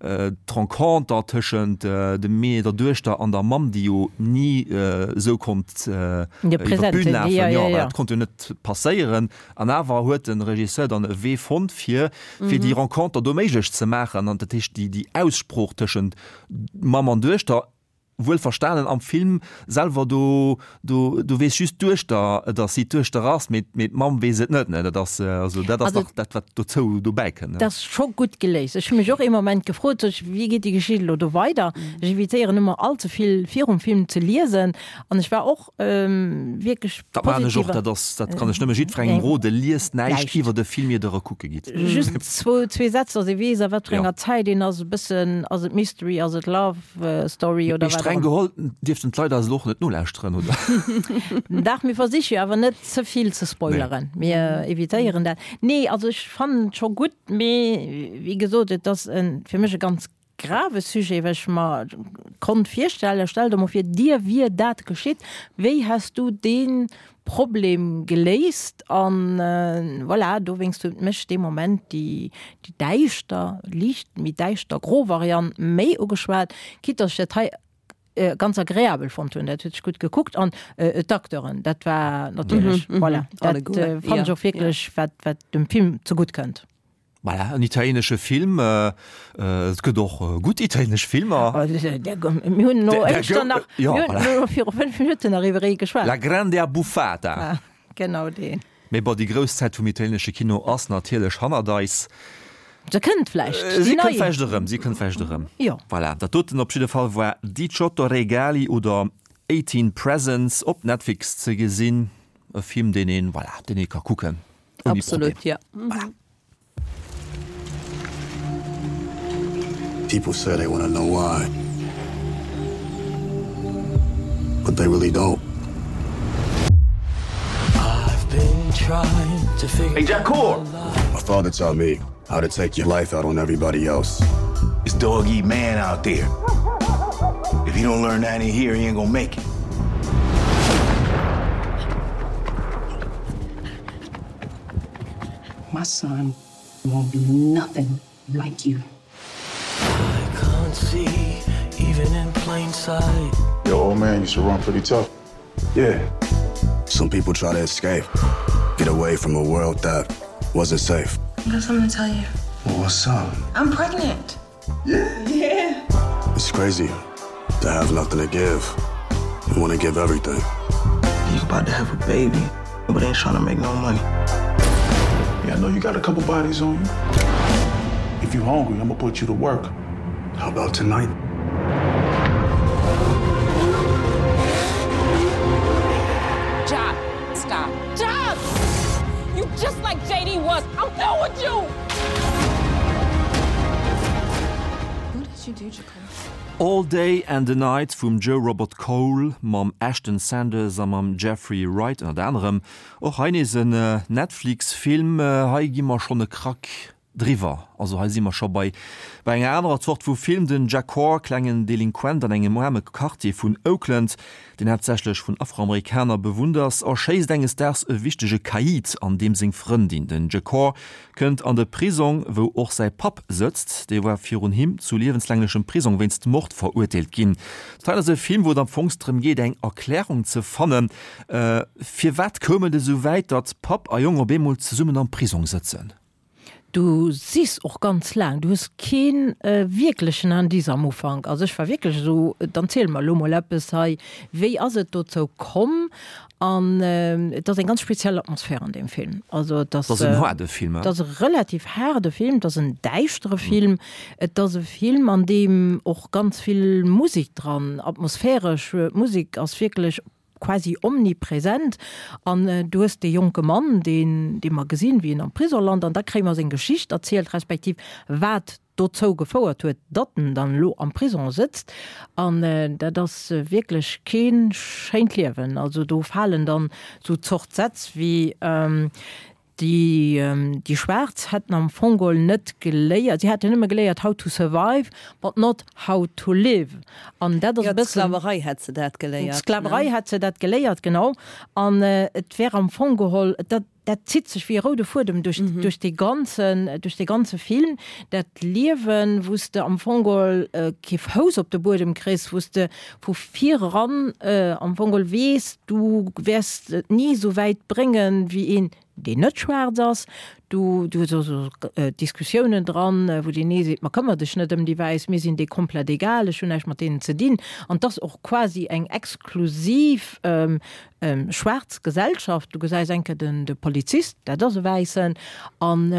d'Renconter tëschent dem Mee, der Duechter an der Mamm, déi jo ni esou konnt iwwer d'Bün lafen, jo, well dat konnt jo net passéieren. An awer huet de Regisseur dann e Wee fonnt, fir, fir déi Renconter do méiglech ze maachen, an dat heescht déi, déi Aussprooch tëschent Mamm an Duechter, wuel verstanen am Film selwer, do, do, do weess just d'Duechter, datt si d'Duechter ass, mee, mee d'Mamm weess et net, ne, dat ass, also dat ass Also nach dat, wat dozou dobäi kënnt, ne. Dat ass scho gutt geléist. Ech hu mech och ee Moment gefrot, sech, wéi geet déi Geschicht elo do weider? Ech evitéieren ëmmer all ze vill virum Film ze liesen an ech war och wierklech Dat maachen ech och, positiv. dat ass, dat kann ech nëmme jiddwerengem roden, liest näischt iwwer de Film ier der e kucke gitt. Just zwou, zwee Sätz, datt ee weess a wat fir Ja. enger Zäit een ass, e bëssen, ass et Mystery, ass et Love Story oder Mee wat streng och ëmmer. geholl dierften d'Leit eis elo och net nolauschteren, oder? Dach, mir versiche jo awer net ze vill ze spoileren. Nee. Mir evitéieren dat. Nee, also ech fannen et scho gutt, mee wéi gesot, et ass en, fir mech e ganz grave Sujet, well ech mer konnt virstellen, stell der mol vir, dir wier dat geschitt, wéi häss du dee Problem geléist? An voilà, dowéinst huet mech dee Moment déi, déi däischter, liicht méi däischter gro Variant méi ugeschwat, quitte dass ech dat hei ganz agreabel fonnt hunn. Dat huet sech gutt gekuckt an d'Acteuren, dat war natierlech, voilà, dat fannen ech och wierklech, wat, wat dem Film zegutt kënnt. Voilà, en italienesche Film, et gëtt och gutt italienesch Filmer. Mir hunn elo éischter nach, mir hunn elo viru fënnf Minutten nach iwwer ee geschwat. La grande abbuffata. Genau deen. Mee bon, déi grouss Zäit vum italienesche Kino ass natierlech hannert eis. Se kënnt vläicht, Si déi kënnt nei. vläicht erëm, si kënnt vläicht erëm. Jo. Voilà, dat doten op jidde Fall war Diciotto Regali oder Eighteen Presents op Netflix ze gesinn. E Film, deen een, voilà, deen ee ka kucken ouni Absolut, Problem. ja. Voilà. People say they wanna know why. But they really don't. I've been trying to figure Hey, Jack Core! My father taught me how to take your life out on everybody else. It's dog eat man out there. If he don't learn that in here, he ain't gonna make it. My son won't be nothing like you. I can't see, even in plain sight. Your old man used to run pretty tough. Yeah. Some people try to escape, get away from a world that wasn't safe. I got something to tell you. Well, what's up? I'm pregnant. Yeah. Yeah. It's crazy to have nothing to give. You want to give everything. You about to have a baby, but ain't trying to make no money. Yeah, I know you got a couple bodies on you. If you hungry, I'm gonna put you to work. How about tonight? Job, stop. Job! You just like J D was. I'm done with you! What did you do, Jacob? All Day and a Night vum Joe Robert Cole mam Ashton Sanders a mam Jeffrey Wright ënnert anerem. Och hei nees en Netflix-Film. Hei gi mer schonn e Krack driwwer. Also hei si mer scho bei bei enger anerer Zort vu Film. Den Jacor, klengen Delinquent an engem aarme Quartier vun Oakland, deen haaptsächlech vun Afroamerikaner bewunnt ass, erschéisst enges Daags e wichtege Caïd an deem seng Frëndin. Den Jacor kënnt an de Prisong, wou och säi Papp sëtzt. Dee war virun him zu liewenslänglechem Prisong wéinst Mord verurteelt ginn. Dat hei ass e Film, wou et am Fong drëm geet, eng Erklärung ze fannen, firwat koum et esou wäit, datt Papp a Jong op eemol zesummen am Prisong sëtzen. Du sichs och ganz laang, du hues kee wierklechen Indice am Ufank. Also ech war wierklech esou, dann ziel mer elo mol eppes hei, wéi ass et dozou komm? An et ass eng ganz speziell Atmosphär an deem Film. Also et ass, Et ass en haarde Film, et ass e relativ haarde Film, et ass en däischtere Film, et ass e Film an deem och ganz vill Musek dran, atmosphäresch Musek ass wierklech quasi omnipresent an du hues dee jonke Mann, deen, dee mer gesinn, wéi en am Prisong lant an da kréie mer seng Geschicht erzielt, respektiv wat dozou gefouert huet, datt en dann elo am Prisong sëtzt an dat ass wierklech kee schéint Liewen. Also do falen dann esou Zort Sätz wéi, Déi, déi Schwaarz hätten am Fong geholl net geléiert, si hätten nëmme geléiert how to survive, but not how to live. An dat ass e Jo, bëssen. d'Sklaverei hätt se dat geléiert, ne? D'Sklaverei hätt se dat geléiert, genau. An et wär am Fong geholl, dat, dat zitt sech wéi e roude Fuedem duerch, duerch dee ganzen, duerch dee ganze Film, dat Liewen, wou s de am Fong geholl kee Fouss op de Buedem kriss, wou s de vu vir eran am Fong geholl weess, du wäers et ni esou wäit bréngen, wéi een, deen net schwaarz ass. Du, du hues och esou Diskussiounen dran, wou deen ee seet, Ma këmmer dech net ëm déi Wäiss, mir sinn déi komplett egal, ech hunn näischt mat deenen ze dinn. An 't ass och quasi eng exklusiv schwaarz Gesellschaft. Du gesäis eng Kéier den, de Polizist, dat ass e Wäissen. An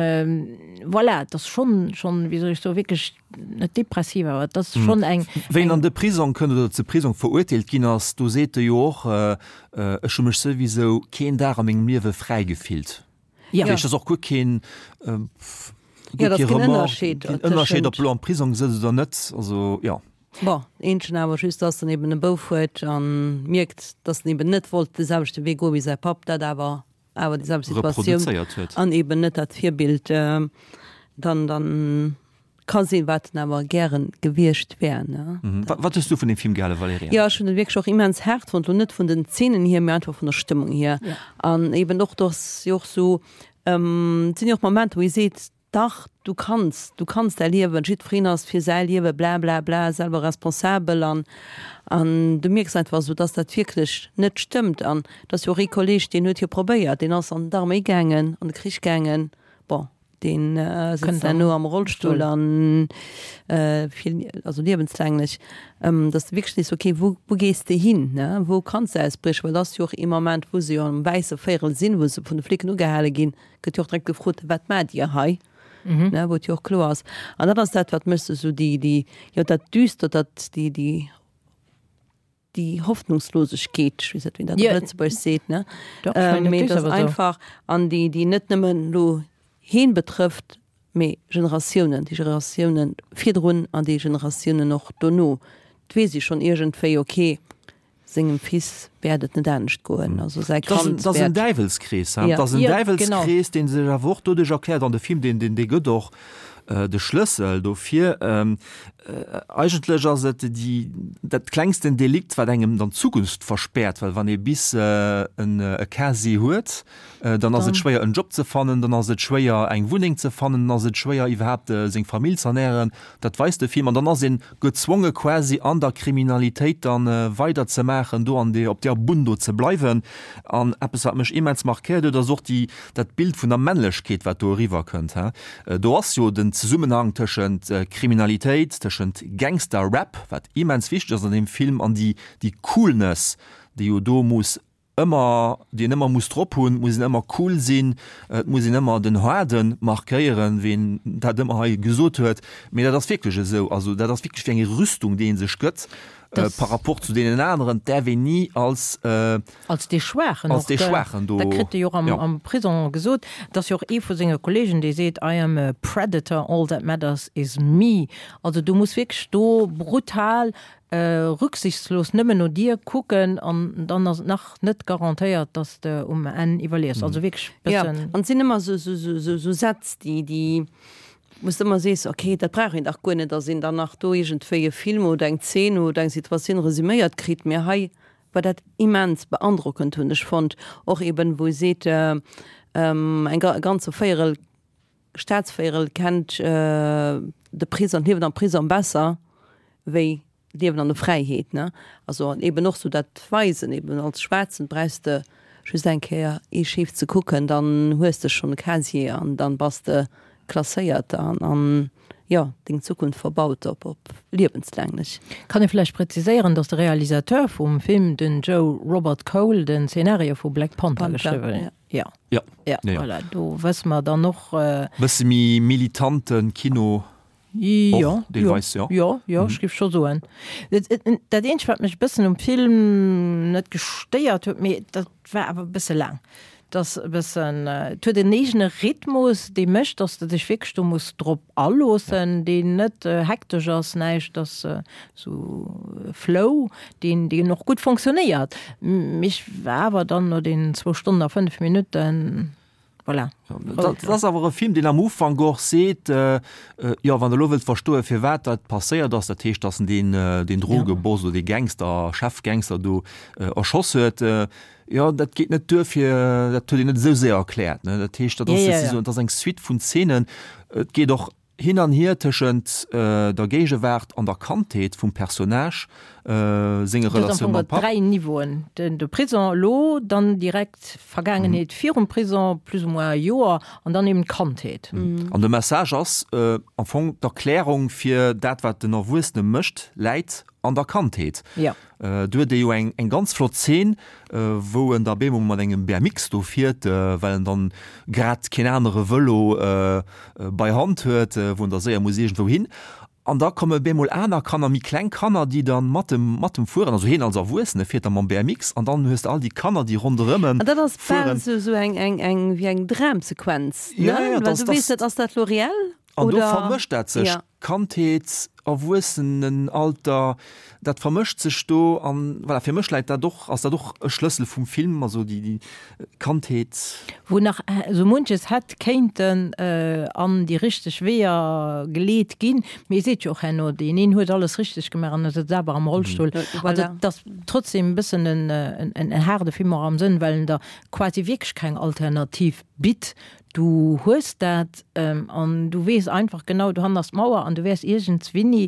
voilà, et ass schonn, schonn, wéi soll ech soen, wierklech net depressiv, awer et ass schonn eng. Wéi en an de Prisong kënnt oder ze Prisong verurteelt ginn ass, do seet e jo och, Ech hu mech souwisou keen Dag a mengem Liewe fräi gefillt. Ja. Dat ass och guer keen, Ja, guer dat kee ass keen Remords, Ënnerscheed keen Ënnerscheed, ob tëschent. elo am Prisong sëtzt oder net. Also, jo. Bon, eenzegen awer just, dass en eben e Bouf huet a mierkt, dass en eben net wollt de selwechte Wee goe wéi säi Papp, dat awer awer déi selwecht Situatioun Reproduzéiert huet. an eben net dat Virbild dann dann ka sinn, wat en awer gären gewiescht wär, ne. Wat hues du vun deem Film gehale, Valerija? Jo, ech hunn en wierklech och immens haart fonnt, lo net vun den Zeenen hier, mee einfach vun der Stëmmung hier. An eben och, dass jo och sou, et sinn jo och Momenter, wou ee seet, dach, du kanns, du kanns däi Liewen, jiddwereen ass fir säi Liewe bla bla bla selwer responsabel an an du mierks einfach esou, dass dat wierklech net stëmmt. An et ass jo och ee Kolleg, deen huet jo probéiert, deen ass an d'Arméi gaangen, an de Krich gaangen, bon, Deen sëtzt herno am Rollstull an fir also liewenslänglech, dass de wierklech sees, okay, wou wou gees de hin, ne, wou kanns de ausbriechen? Well et ass jo och ee Moment, wou se jo am wäisse Véierel sinn, wou se vun de Flicken ugehale ginn, gëtt jo och direkt gefrot, wat maacht Dir hei? Ne, wou et jo och kloer ass. An dat ass dat, wat mech esou déi déi jo dat Düstert, dat déi déi déi Hoffnungslosegkeet, ech weess net, wéi een dat op Lëtzebuergesch seet, ne, mee et ass einfach, an déi, déi net nëmmen elo heen betrëfft, mee Generatiounen, déi Generatiounen virdrun an déi Generatiounen och dono. Et weess ee schonn iergendwéi, ok, sengem Fils wäert et net anescht goen, also säi Kand wäert. Et ass en Däiwelskrees, et ass en Däiwelskrees, dee sech awer och doduerch erkläert, an de Film, deen, dee gëtt och de Schlëssel dofir. Eigentlech ass et déi, dat klengsten Delikt, wat engem dann d'Zukunft verspäert, well wann ee bis en e Casier huet, dann ass et schwéier en Job ze fannen, dann ass et schwéier eng Wunneng ze fannen, dann ass et schwéier iwwerhaapt seng Famill z'ernären. Dat weist de Film. An dann ass ee gezwonge quasi an der Kriminalitéit dann weider ze maachen, do an deer, op deer Bunn do ze bleiwen. An eppes wat mech immens markéiert huet, ass och déi, dat Bild vun der Männlechkeet, wat do eriwwer kënnt. Do ass jo den Zesummenhang tëschent Kriminalitéit, tëschent Gangster-Rap, wat immens wichteg ass an deem Film, an déi, déi Coolness, déi jo do muss ëmmer, déi een ëmmer muss drop hunn, et muss een ëmmer cool sinn, et muss een ëmmer den Haarde markéieren, wéi een dat ëmmer hei gesot huet. Mee dat ass wierklech esou, also dat ass wierklech wéi eng Rüstung, déi ee sech gëtt par rapport zu deenen aneren, et däerf een ni als. Als dee Schwaachen als och, dee Schwaachen do. Dat kritt e jo och am, Ja. am Prison gesot. Et ass jo och ee vu senge Kollegen, dee seet, I am a predator, all that matters is me. Also du muss wierklech do brutal, rücksichtslos nëmmen no dir kucken an dann ass et nach net garantéiert, dass de um Enn iwwerliefs. Also wierklech Ja, bëssen. an et sinn ëmmer esou, esou, esou, esou Sätz, déi, déi, Wou s de ëmmer sees, ok, dat brauch een dach guer net, datt een dann nach do iergendwéi e Film oder eng Zeen oder eng Situatioun resüméiert kritt. Mee hei war dat immens beandrockend, hunn ech fonnt. Och eben, wou e seet, eng e ganze Véierel, Staatsvéierel kennt de Prisong, d'Liewen am Prisong besser wéi d'Liewen an der Fräiheet, ne? Also an eben och sou dat Weisen, eben als Schwaarzen brauchs de just eng Kéier ee scheef ze kucken, dann hues de schonn e Casier an dann bass de klasséiert an, an jo, deng Zukunft verbaut op op liewenslänglech. Kann ee vläicht präziséieren, datt de Realisateur vum Film, den Joe Robert Cole, den Szenario vu Black Panther geschriwwen huet? Ja. Ja. Ja, ja. Voilà, do wësse mer dann och. Bësse méi militante Kino. Jo, Och deelweis, jo. Jo, jo, ech géif scho soen. Dat eenzegt, wat mech e bëssen um Film net gestéiert huet, mee dat war awer e bësse laang, et ass e bëssen, et huet en eegene Rhythmus, dee mécht, datt s de dech wierklech do muss drop aloossen, deen net hektesch ass, näischt, ass esou e Flow, deen, deen och gutt fonctionnéiert. Mee ech war awer dann no deenen zwou Stonnen a fënnef Minutten, Voilà. Dat ass awer e Film, deen am Ufank och seet, jo, wann Der elo wëllt verstoen, firwat dat passéiert ass, dat heescht, datt en deen, deen Drogeboss oder dee Gangster, Chefgangster do erschoss huet, jo, dat geet net duer fir, dat huet een net esou séier erkläert, ne. Dat heescht, dat ass, dat ass eng Suite vun Zeenen. Et geet och Hin an hier tëschent der Géigewaart an der Kandheet vum Personnage, senge Relatioun mam Papp. Dräi Niveauen, den de Prison elo, dann direkt Vergaangenheet virum Prison, plus ou moins e Joer, an dann eben d'Kandheet. An de Message ass am Fong, d'Erklärung fir dat, wat den Erwuessene mécht, läit an der Kandheet. Do huet e jo eng eng ganz flott Zeen, wou en da bemol mat engem B M X do fiert, well en dann grad keen anere Vëlo bei Hand huet, wou en da séier muss iergendwou hin. An da komme bemol aner Kanner, méi kleng Kanner, déi dann mat em mat em fueren, also hien als Erwuessene fiert da mam B M X an dann hues de all déi Kanner, déi ronderëm em An dat ass bal fueren. esou esou eng eng eng wéi eng Dramsequenz, ne? Ja, ja, Well dat du weess ass, net, ass dat elo reell An do oder? vermëscht dat sech, Ja. Kandheet, Erwuessenenalter, dat vermëscht sech do an voilà, fir mech läit dat och, ass dat och e Schlëssel vum Film, also déi, déi Kandheet. Wou nach esou munches hätt kéinten an déi richteg Weeër geleet ginn, mee ee seet jo och herno, deen een huet alles richteg gemaach an e sëtzt awer am Rollstull. Also et ass trotzdem e bëssen en, en haarde Film och am Sënn, well en der quasi wierklech keng Alternativ bitt. Du hues dat an du weess einfach genau, dohannen ass d'Mauer an du wäers iergendswinni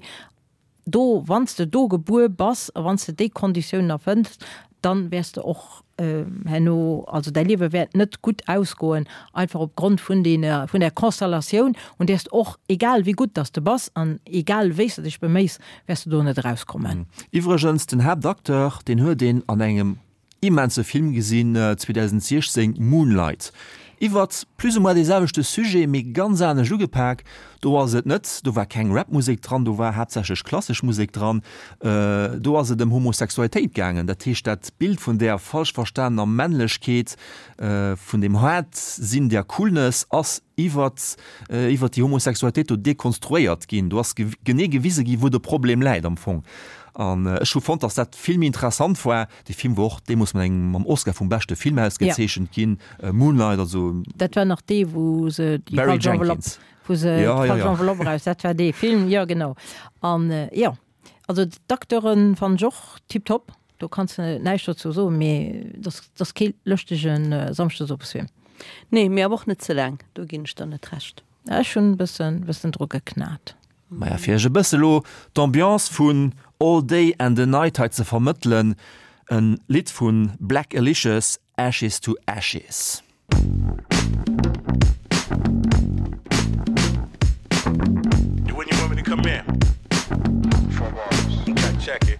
do, wann s de do gebuer bass a wann s de déi Konditiounen erfënns, dann wäers de och herno, also däi Liewe wäert net gutt ausgoen, einfach op Grond vun deene, vun där Konstellatioun, un där s de och, egal wéi gutt dass de bass an egal wéi s de dech beméis, wäers de do net erauskommen. Iwwregens, den Haaptacteur, deen huet een an engem immense Film gesinn zweedausentsiechzéng, Moonlight, iwwert plus ou moins dee selwechte Sujet, mee ganz anescht ugepak. Do ass et net, do war keng Rap-Musek dran, do war haaptsächlech klassesch Musek dran, do ass et ëm Homosexualitéit gaangen. Dat heescht, dat Bild vun där falsch verstanener Männlechkeet, vun deem Haart-Sinn, där Coolness ass iwwert iwwert déi Homosexualitéit do dekonstruéiert ginn. Do ass genee gewise ginn, wou de Problem läit am Fong. An ech hu fonnt, dass dat vill méi interessant war. Dee Film wor och deemools mat engem, mam Oscar vum beschte Film ausgezeechent ginn, Moonlight, also. Dat war nach dee, wou se déi Barry falsch Enveloppe, Jenkins. wou se Ja, ja, d'falsch ja. Enveloppe eraus, dat war dee Film, jo genau. An jo, also d'Acteuren fannen ech och tiptop, do kanns de näischt dozou soen, mee dat ass kee lëschtege Samschdesowesfilm. Nee, mee awer och net ze laang, do ginn ech der net Recht. Ech hunn e bëssen, bëssen dru geknat. Maja, fir iech e bësse lo d'Ambiance vun All Day and a Night hei ze vermëttelen, en Lidd vu Blackalicious, Ashes to Ashes. When you want me to come in? Okay, check it.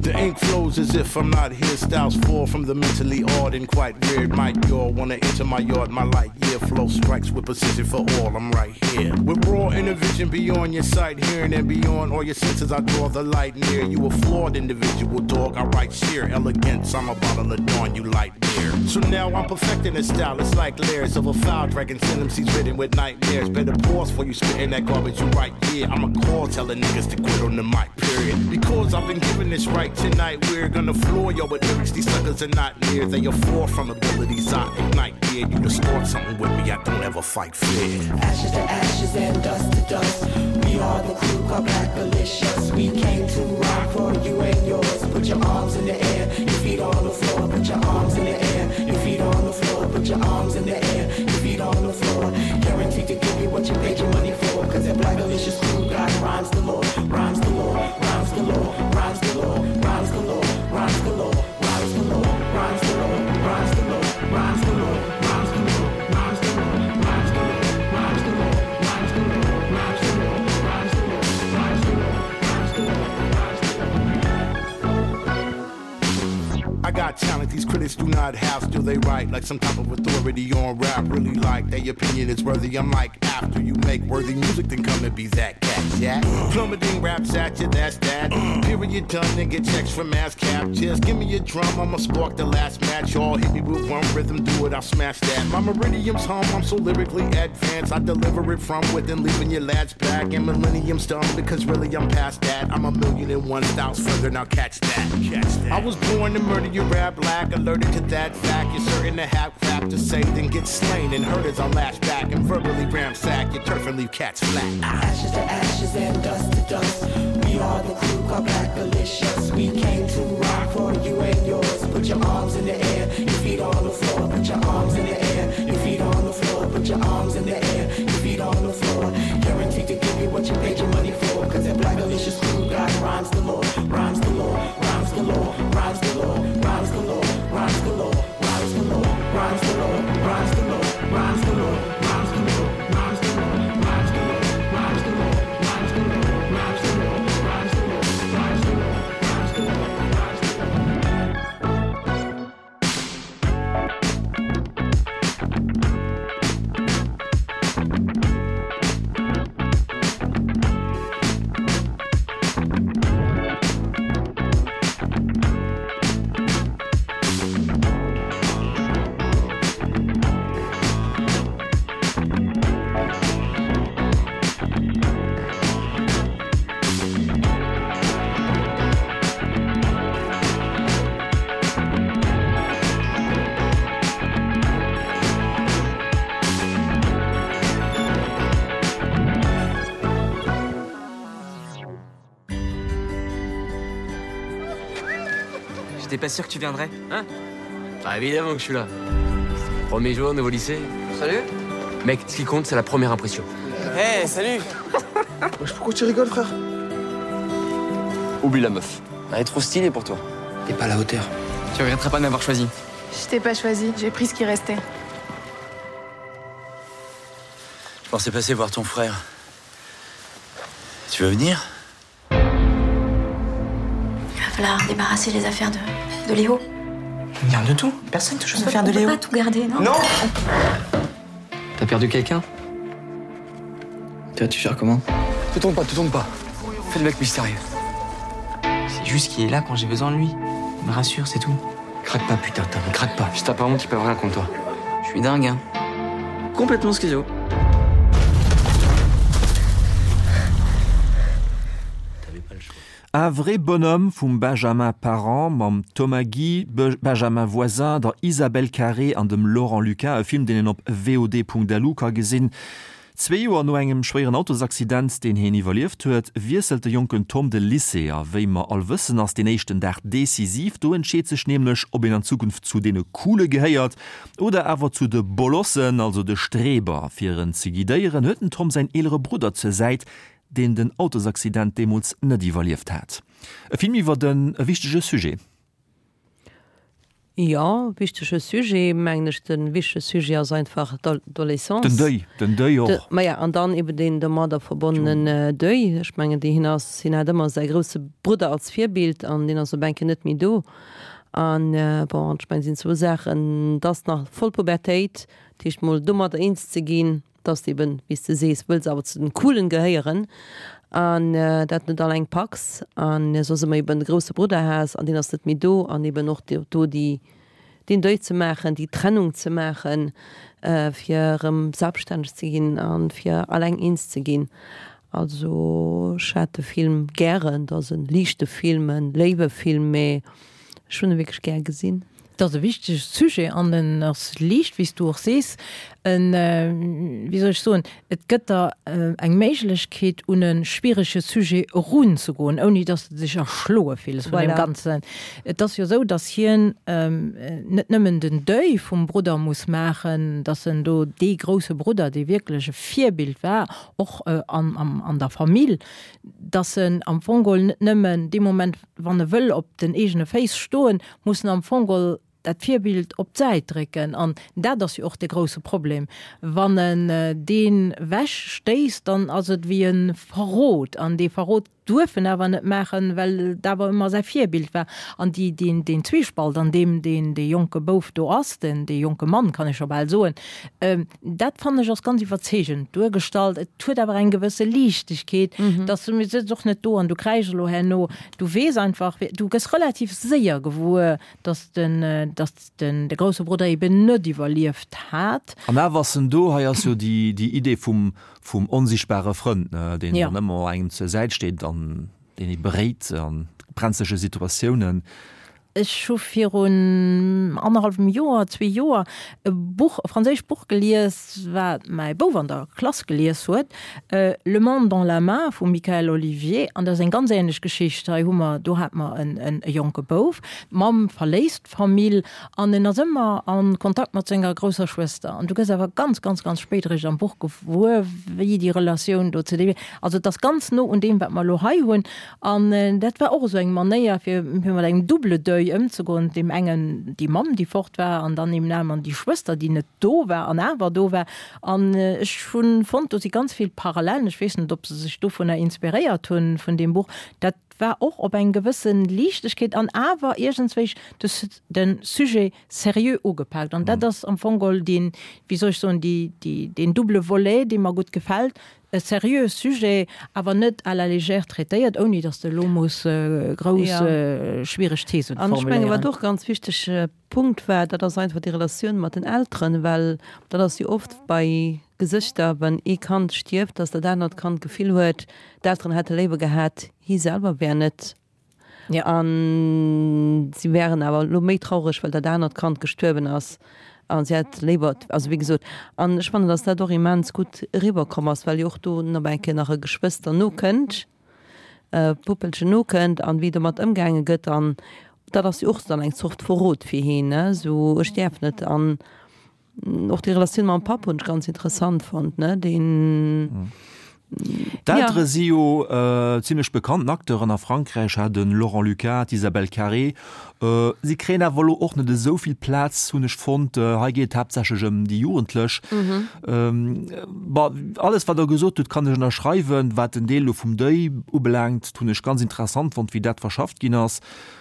The ink flows as if I'm not here. Styles fall from the mentally odd and quite weird. Might y'all wanna enter my yard? My light year flow strikes with precision for all. I'm right here. With raw inner vision beyond your sight, hearing and beyond all your senses, I draw the light near. You a flawed individual, dog. I write sheer elegance. I'm a bottle of dawn, you light beer. So now I'm perfecting the style. It's like layers of a foul dragon. Sentences written with nightmares. Better pause for you spitting that garbage you write. Yeah, I'm a call telling niggas to quit on the mic, period. Because I've been given this right Tonight we're gonna floor yo with lyrics. These suckers are not near. They are far from abilities. I ignite gear. You to start something with me. I don't ever fight fair. Ashes to ashes and dust to dust. We are the crew called Blackalicious. We came to rock for you and yours. Put your arms in the air, your feet on the floor. Put your arms in the air, your feet on the floor. Put your arms in the air, your feet on the floor. Guaranteed to give you what you paid your money for. Cause that Blackalicious crew got rhymes galore, rhymes galore, rhymes galore, rhymes galore, rhymes galore, rhymes galore, rhymes galore, rhymes galore, rhymes galore, rhymes galore, rhymes galore, rhymes galore, rhymes galore, rhymes galore, rhymes galore, rhymes galore, rhymes galore, rhymes galore, rhymes galore, rhymes galore. I got talent these critics do not have. Still they write like some type of authority on rap. Really like their opinion is worthy. I'm like after you make worthy music, then come and be that cat. Jack. Plummeting raps at you, that's that. Period done and get checks from ass cap. Just give me a drum, I'ma spark the last match. Y'all hit me with one rhythm, do it, I'll smash that. My meridians hum, I'm so lyrically advanced. I deliver it from within, leaving your lads back. And millennium's done because really I'm past that. I'm a million and one styles further, now catch that. Catch that. I was born to murder your rap black, alerted to that fact. You're certain to have crap to say, then get slain and hurt as I lash back and verbally ramsack your turf and leave cats flat. Ashes to ashes and dust to dust. We are the crew called Blackalicious. We came to rock for you and yours. Put your arms in the air, your feet on the floor. Put your arms in the air, your feet on the floor. Put your arms in the air, your feet on the floor. Guaranteed to give you what you paid your money for. Cause that Blackalicious crew got rhymes galore, rhymes galore, rhymes galore, rhymes galore, rhymes galore, rhymes galore, rhymes galore, rhymes galore, rhymes galore, rhymes galore, rhymes galore, rhymes galore, rhymes galore, rhymes galore, rhymes galore, rhymes galore, rhymes galore, rhymes galore, rhymes galore, rhymes galore. J'étais pas sûr que tu viendrais, hein Bah évidemment que je suis là. Premier jour, nouveau lycée. Salut Mec, ce qui compte, c'est la première impression. Hey, salut Pourquoi tu rigoles, frère Oublie la meuf. Elle est trop stylée pour toi. T'es pas à la hauteur. Tu regretteras pas de m'avoir choisi. Je t'ai pas choisi, j'ai pris ce qui restait. Je pensais passer voir ton frère. Tu veux venir Il va falloir débarrasser les affaires de, de Léo. On garde tout. Personne touche aux On peut, affaires de on peut Léo. pas tout garder, non Non T'as perdu quelqu'un Toi, tu gères comment Te tourne pas, te tourne pas. Fais le mec mystérieux. C'est juste qu'il est là quand j'ai besoin de lui. Il me rassure, c'est tout. Craque pas, putain, Tom, craque pas. Si t'as pas honte, ils peuvent rien contre toi. Je suis dingue, hein. Complètement schizo. Un vrai bonhomme vum Benjamin Parent mam Thomas Guy, Be Benjamin Voisin, der Isabelle Carré an dem Laurent Lucas, e Film deen een op vod.lu ka gesinn. Zwee Joer no engem schwéieren Autosaccident, deen hien iwwerlieft huet, wiesselt de jonken Tom de Lycée a wéi mer all wëssen ass deen éischten Dag decisiv, do entscheet sech nämlech, ob een an Zukunft zu deene Coole gehéiert oder awer zu de Bolossen, also de Streber. Fir en ze guidéieren, huet den Tom säin eelere Brudder zur Säit, deen den Autosaccident deemools net iwwerlieft hat. E Film iwwer den e wichtege Sujet. Jo, wichtege Sujet, mengen ech, de wichtege Sujet ass einfach d'Adolescence. Den Deuil, den Deuil och. De, ma ja, an dann eben den domadder verbonnenen äh, Deuil. Ech mengen, deen ass, hien hat ëmmer säi grousse Brudder als Virbild an deen ass op eng Kéier net méi do. An äh, bon, ech mengen, sinn zwou Saachen, dass nach voll Pubertéit, dat heescht mol domadder eens ze ginn, dass de eben, wéi s de sees, wëlls awer zu den Coolen gehéieren an äh, dat net alleng packs an äh, soss ëmmer eben de grousse Brudder has an deen ass net méi do an eben och do déi den Deuil ze maachen, déi Trennung ze maachen, äh, fir erëm selbststänneg ze ginn an fir alleng eens ze ginn. Also ech hat de Film gären, et ass e liichte Film, e léiwe Film, mee ech hunn e wierklech gär gesinn. Et ass e wichtege Sujet an en ass liicht, wéi s du och sees. En, wéi soll ech soen, et gëtt der eng Méiglechkeet, un e schwierege Sujet erunzegoen, ouni datt s de dech erschloe fills vun deem Ganzen. Et ass jo esou, datt hien net nëmmen den Deuil vum Brudder muss maachen, datt en do dee grousse Brudder, dee wierklech e Virbild war, och an der Famill, datt en am Fong geholl net nëmmen dee Moment, wann e wëll op den eegene Féiss stoen, muss en am Fong geholl dat Virbild op d'Säit drécken. An dat ass jo och de grousse Problem. Wann en deen ewech stéisst, dann ass et wéi e Verrot. An dee Verrot duerf en awer net maachen, well et awer ëmmer säi Virbild war. An déi, deen, deen Zwiespalt, an deem deen, dee jonke Bouf do ass, den, dee jonke Mann, kann ech scho bal soen, dat fannen ech ass ganz iwwerzeegend duergestallt. Et huet awer eng gewësse Liichtegkeet, dass du, mir sëtz och net do an du kräisch elo herno, du weess einfach, du gëss relativ séier gewuer, dass den, dass den, de grousse Brudder eben net iwwerlieft hat. An awer ass en do. Hei ass jo déi, déi Idee vum, vum onsichtbare Frënd, ne, deen dann ëmmer engem zur Säit steet an deen ee beréit a brenzlege Situatiounen. Ech hu virun annerhallwem Joer, zwee Joer, e Buch, e franséischt Buch gelies, wat mäi Bouf an der Klass gelies huet, Le monde dans la main vum Mickaël Olivier. An dat ass eng ganz änlech Geschicht. Hei hu mer, do hate mer en e jonke Bouf, d'Mamm verléisst d'Famill an en ass ëmmer a Kontakt mat senger grousser Schwëster. An du gëss awer ganz, ganz, ganz spéit eréischt am Buch gewuer, wéi déi Relatioun do zu deem, also et ass ganz no un deem, wat mer elo hei hunn. An dat war och esou eng Manéier, fir fir mat engem double Deuil ëmzegoen, deem engen déi Mamm, déi fort war, an dann deem aneren déi Schwëster, déi net do war an awer do war. An ech hu fonnt, do si ganz vill Parallellen. Ech weess net, ob se sech dovunner inspiréiert hunn, vun deem Buch. Dat war och op eng gewësse Liichtegkeet an awer iergendswéi de de Sujet seriö ugepaakt. An dat ass am Fong geholl deen, wéi soll ech soen, déi, déi, deen double Volet, dee mer gutt gefält, e seriöe Sujet, awer net à la légère traitéiert, ouni datt s de elo muss grouss schwiereg Thesen An ech menge wat formuléieren. och ganz wichtege Punkt war, dat ass einfach déi Relatioun mat den Elteren, well dat ass jo oft bei Gesëschter, wann ee Kand stierft, datt dat anert Kand d'Gefill huet, d'Elteren hätte léiwer gehat, hie selwer wär net a si wären awer elo méi traureg, well dat anert Kand gestuerwen ass a si hätt léiwer, also wéi gesot, an ech fannen, datt dat och immens gutt eriwwerkomm ass, well jo och do nach eng Kéier nach e Geschwëster nokënnt, e Puppelchen nokënnt an wéi domat ëmgaange gëtt an dat ass jo och dann eng Zort Verrot fir hien, ne, esou ech däerf net an och déi Relatioun mam Papp hunn ech ganz interessant fonnt, ne, deen. D'Eltere si jo zimlech bekannten Acteuren a Frankräich, ha de Laurent Lucas, d'Isabelle Carré. Si kréien awer elo och net esou vill Plaz, hunn ech fonnt. Hei geet et haaptsächlech ëm déi Jugendlech. Bon, alles wat Der gesot hutt, kann ech ënnerschreiwen. Wat den Deel elo vum Deuil ubelaangt, hunn ech ganz interessant fonnt, wéi dat verschafft ginn ass.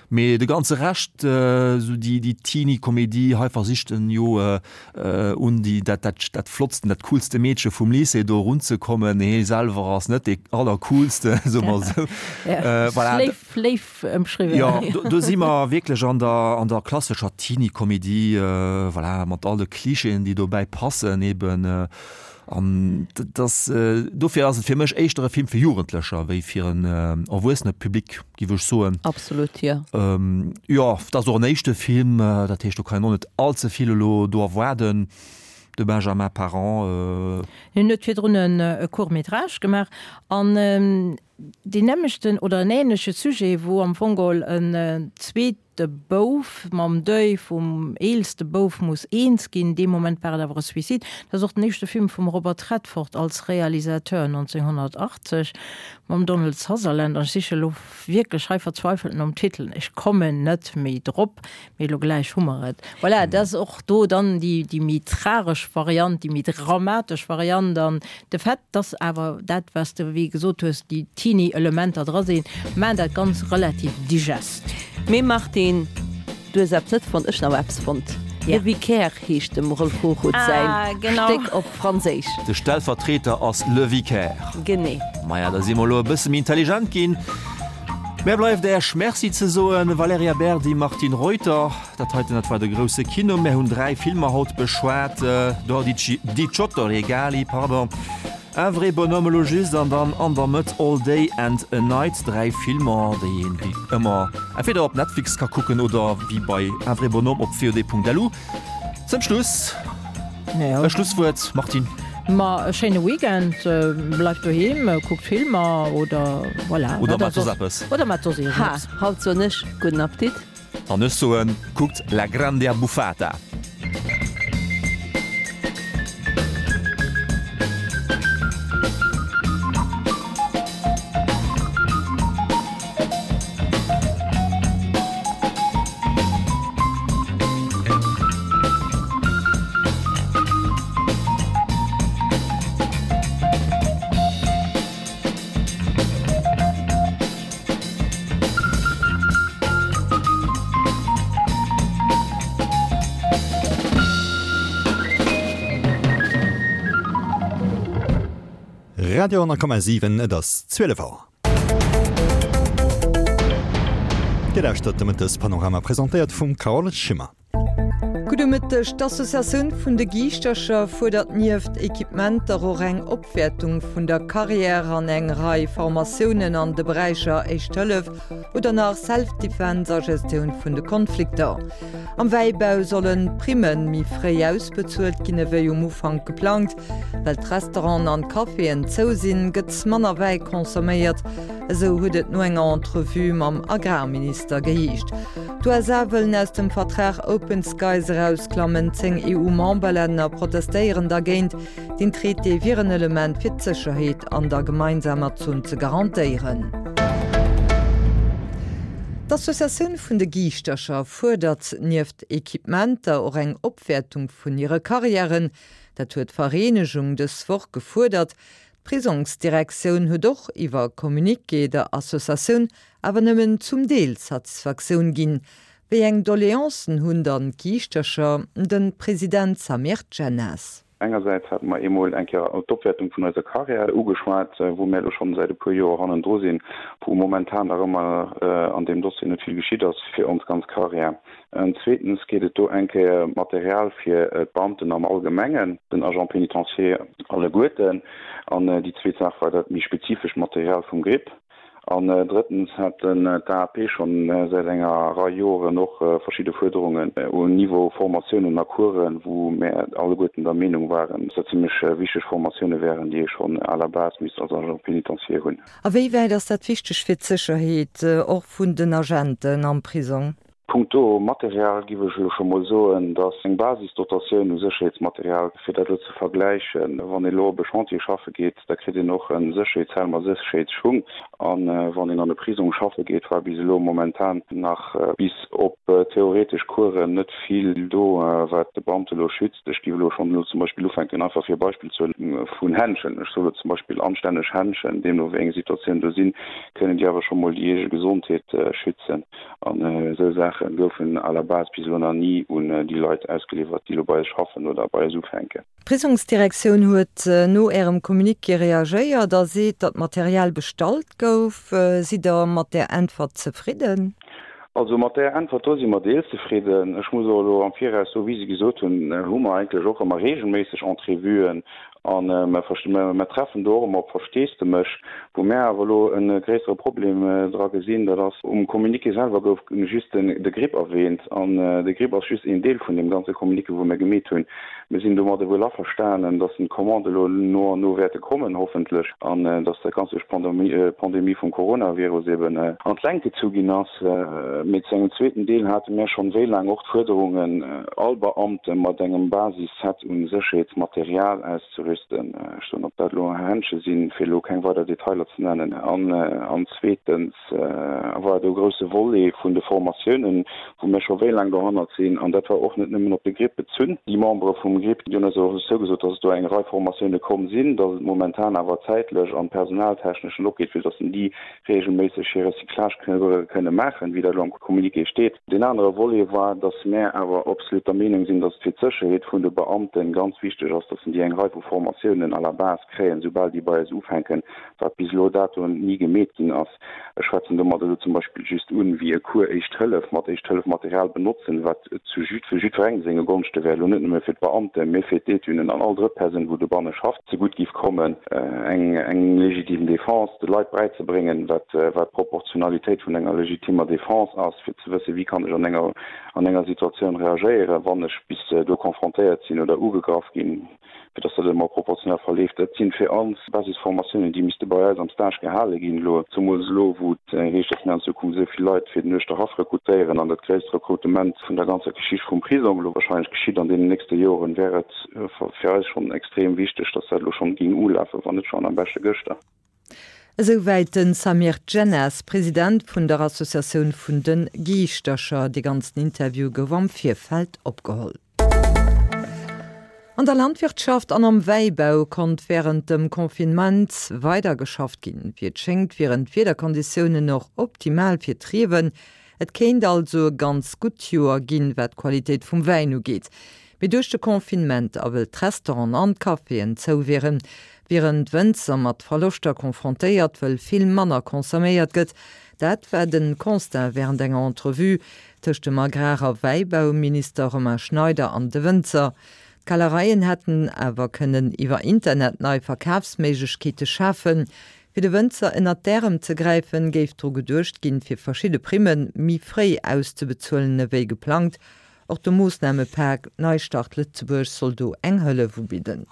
Mee de ganze Rescht, esou déi déi Teenie-Komedie, hei versicht en jo un déi dat dat dat flottsten, dat coolste Meedche vum Lycée do erunzekommen. Hie selwer ass net dee allercoolste, soe mer esou. Voilà. Léif, léif ëmschriwwen. Jo, do do si mer wierklech an der an der klassescher Teenie-Komedie, voilà, mat all de Klischeeën, déi dobäi passen eben. An dat ass, dofir ass et fir mech éischter e Film fir Jugendlecher wéi fir en erwuessene Public, géif ech soen. Absolut, jo. Jo, et ass och en éischte Film, dat heescht, do kann een och net all ze vill elo do erwaarden. De Benjamin Parent. Hien huet virdrun e Court-métrage gemaach an deen nämmlechten oder en änleche Sujet, wou am Fong geholl en zweet De Bouf mam Deuil vum eelste Bouf muss eens ginn. Dee Moment war et awer e Suicide. Dat ass och den éischte Film vum Robert Redford als Realisateur nonzénghonnertachtzeg mam Donald Sutherland. An ech siche lo wierklech hei verzweifelt nom Titel. Ech kommen net méi drop, mee elo gläich hu mer et. Voilà, dat ass och do dann déi, déi méi tragesch Variant, déi méi dramatesch Variant. An de Fait, dass awer dat, wat s de wéi gesot hues, déi Teenie-Elementer dra sinn, maachen dat Ganzt relativ digest. Mee Martine, du hues eppes net fonnt, ech hunn awer eppes fonnt. Le Vicaire heescht dem Rolf Hochhuth säin Stéck op Franséisch. De Stellvertreter ass Le Vicaire. Genee. Maja, da si mer elo e bësse méi intelligent ginn. Mär bleift Äech Merci ze soen, Valerija Berdi, Martine Reuter. Dat heiten, dat war de grousse Kino. Mär hunn dräi Filmer haut beschwat, Dodici, Diciotto regali, pardon, Un vrai bonhomme elo just an dann an der Mëtt All Day and a Night, dräi Filmer, déi een wéi ëmmer entweder op Netflix ka kucken oder wéi bei Un vrai bonhomme op VOD.lu. Zum Schluss e Schlusswuert, Martine. Ma e schéine Weekend, bleift doheem, kuckt Filmer oder voilà. Oder maacht soss eppes. Oder maacht soss iergendeppes. Ha, haut soen ech gudden Appetit. An ech soen, kuckt La Grande Abbuffata. Radio honnert Komma siwen, Et ass zwielef Auer. Dir lauschtert de Mëttespanorama, presentéiert vum Carole Schimmer. Gudde Mëtteg. D'Associatioun vun de Giischtercher fuerdert nieft Equipementer och eng Opwäertung vun der Carrière an eng Rei Formatiounen an de Beräicher Éischt Hëllef oder nach Self-Defense a Gestioun vun de Konflikter. Am Wäibau sollen d'Primme méi fréi ausbezuelt ginn ewéi um Ufank geplangt. Well d'Restauranten an d'Caféen zou sinn, gëtt manner Wäi consomméiert, esou huet et no enger Entrevue mam Agrarminister geheescht. D'USA wëllen aus dem Vertrag Open Skies erausklammen, zéng EU-Memberlänner protestéieren dergéint. Den Traité wier en Element fir d'Sécherheet an der gemeinsamer Zon ze garantéieren. D'Associatioun vun de Giischtercher fuerdert nieft Equipementer och eng Opwäertung vun hire Karriären. Dat huet d'Vereenegung dës Woch gefuerdert. D'Prisongsdirektioun huet och iwwer Communiqué der Associatioun awer nëmmen zum Deel Satisfaktioun ginn. Wéi eng Doleancen hunn dann d'Giischtercher? De President Samir Djennas. Engersäits hate mer eemol eng Kéier d'Opwäertung vun eiser Carrière ugeschwat, wou mir elo schonn säit e puer Joer hannendru sinn, wou momentan nach ëmmer an deem Dossier net vill geschitt ass fir ons ganz Carrière. Zweetens geet et do eng Kéier Material fir d'Beamten am Allgemengen, den Agents pénitentiaires alleguerten. An déi zweet Saach war dat méi spezifescht Material vum GRIP. An drëttens hat d'AAP schonn säit enger Rei Joren och verschidde Fuerderungen um Niveau Formatiounen a Coursen, wou mär alleguerten der Meenung waren, dass dat zimlech wichteg Formatioune wären, déi ee schonn à la base misst als Agent pénitentiaire hunn. A wéi wäit ass dat wichteg fir d'Sécherheet och vun den Agenten am Prisong? Punkto Material giff ech elo scho mol soen, dass eng Basisdotatioun u Sécherheetsmaterial, fir dat elo ze vergläichen, wann ee elo op e Chantier schaffe geet, da kritt een och e Sécherheetshelm a Sécherheetsschung. A wann een an e Prisong schaffe geet, war bis elo momentan nach bis op theoretesch Coursen net vill do, wat de Beamte elo schützt. Ech giff elo schonn elo zum Beispill ufänken, einfach fir e Beispill ze huelen, vun Händschen. Ech soe elo zum Beispill anstänneg Händschen, deemno wéi eng Situatioun do sinn, kënnen déi awer scho mol déi eege Gesondheet schützen. An esou Saache goufen à la base bis elo nach ni un déi Leit ausgeliwwert, déi elo bei eis schaffen oder bei eis ufänken. D'Prisongsdirektioun huet no Ärem Communiqué reagéiert a seet, datt Material bestallt gouf. Sidd Der mat där Äntwert zefridden? Also mat där Äntwert do si mer deels zefridden. Ech muss och elo am Viraus soen, wéi si gesot hunn, hu mer eigentlech och ëmmer reegelméisseg Entrevuen a mer treffen do och ëmmer op Versteesdemech. Wou mär awer elo e gréissere Problem dra gesinn, dat ass, um Communiqué selwer gouf just de GRIP erwähnt an de GRIP ass just een Deel vun deem ganze Communiqué, wou mir gemeet hunn. Mir sinn domadde wuel averstanen, dass d'Commande elo no an no wäerte kommen, hoffentlech, an dass dat Ganzt duerch d'Pandemie vum Coronavirus eben an d'Längt gezu ginn ass. Mee zu engem zweeten Deel hate mir schonn wéi laang och d'Fuerderungen, all Beamte mat engem Basisset u Sécherheetsmaterial auszerüsten. Ech soen, ob dat elo Händche sinn, fir elo keng weider Detailer ze nennen. An zweetens war do e grousse Volet vun de Formatiounen, wou mir scho wéi laang dohannert sinn, an dat war och net nëmmen op de GRIP bezunn. Déi Membere vum GRIP, déi hunn eis och zougesot, dass et do eng Rei Formatioune komm sinn, dass et momentan awer zäitlech an personaltechnesch net opgeet, fir dass déi reegelméisseg hir Recyclage kënne maachen, wéi dat elo am Communiqué steet. Deen anere Volet war, dass mär awer absolut der Meenung sinn, dass et fir d'Sécherheet vun de Beamte ganz wichteg ass, dass déi eng Rei vu Formatiounen Formatiounen à la base kréien, soubal déi bei eis ufänken, wat bis elo dato ni gemeet ginn ass. Ech schwätzen domat elo zum Beispill just un, wéi e Cours Éischt Hëllef mat Éischt-Hëllef-Material benotzen, wat zu jid, fir jiddwerengem senge Gonschte wär, elo net nëmme fir d'Beamten, mee fir d'Étunen an all drëtt Persoun, wou dobanne schafft, zegutt giff kommen, eng, eng legitime Défense de Leit bräizebréngen, wat, wat d'Proportionalitéit vun enger legitimer Défense ass, fir ze wëssen, wéi kann ech an enger, an enger Situatioun reagéieren, wann ech bis do confrontéiert sinn oder ugegraff ginn, fir dass dat ëmmer proportionell verleeft. Dat sinn fir ons Basisformatiounen, déi misste bei eis am Stage gehale ginn elo, zemools elo, wou et heescht, dass mir an Zukunft esou vill Leit fir den Uerschterhaff rekrutéieren an dat gréisst Rekrutement vun der ganzer Geschicht vum Prisong elo wahrscheinlech geschitt an deenen nächste Joren, wär et fir eis schonn extrem wichteg, dass dat elo schonn géing ulafen, wann net schonn am beschte gëschter. Esouwäit de Samir Djennas, President vun der Associatioun vun de Giischtercher. Dee ganzen Interview gouf am Virfeld opgeholl. An der Landwirtschaft an am Wäibau konnt wärend dem Confinement weider geschafft ginn. Wéi et schéngt, wieren d'Wiederkonditiounen och optimal fir d'Riewen. Et kéint also e ganz gutt Joer ginn, wat d'Qualitéit vum Wäin ugeet. Mee duerch de Confinement a wëll d'Restauranten an d'Caféen zou wieren, wieren d'Wënzer mat Verloschter confrontéiert, wëll vill manner consomméiert gëtt. Dat war de Constat wärend enger Entrevue tëscht dem Agrar a Wäibauminister Romain Schneider an de Wënzer. D'Kellereien hätten awer kënnen iwwer Internet nei Verkafsméiglechkeete schafen. Fir de Wënzer ënnert d'Ärem ze gräifen, géif dru geduecht ginn, fir verschidde Primme méi fréi auszebezuelen ewéi geplangt. Och de Moossnamepak Neistart Lëtzebuerg soll do eng Hëllef ubidden.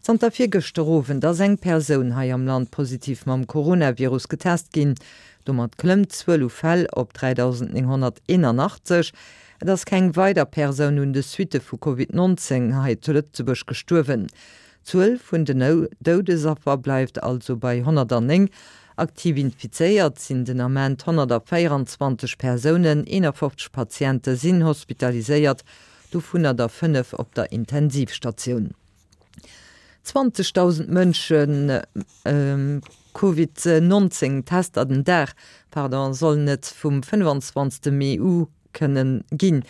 Zanter virgëschter Owend ass eng Persoun hei am Land positiv mam Coronavirus getest ginn. Domat klëmmt d'Zuel u Fäll op dräidausendnénghonnerteenanachtzeg. Et ass keng weider Persoun un de Suitte vu Covid nonzéng hei zu Lëtzebuerg gestuerwen. D'Zuel vun den Doudesaffer bleift also bei honnertanneng. Aktiv infizéiert sinn den Ament honnertavéieranzwanzeg Persounen, eenafofzeg Patiente sinn hospitaliséiert, dovunner der fënnef op der Intensivstatioun. zwanzegdausend Mënsche Covid nonzéng Tester den Dag, pardon, sollen et vum fënnefanzwanzegste Mee u kënnen ginn.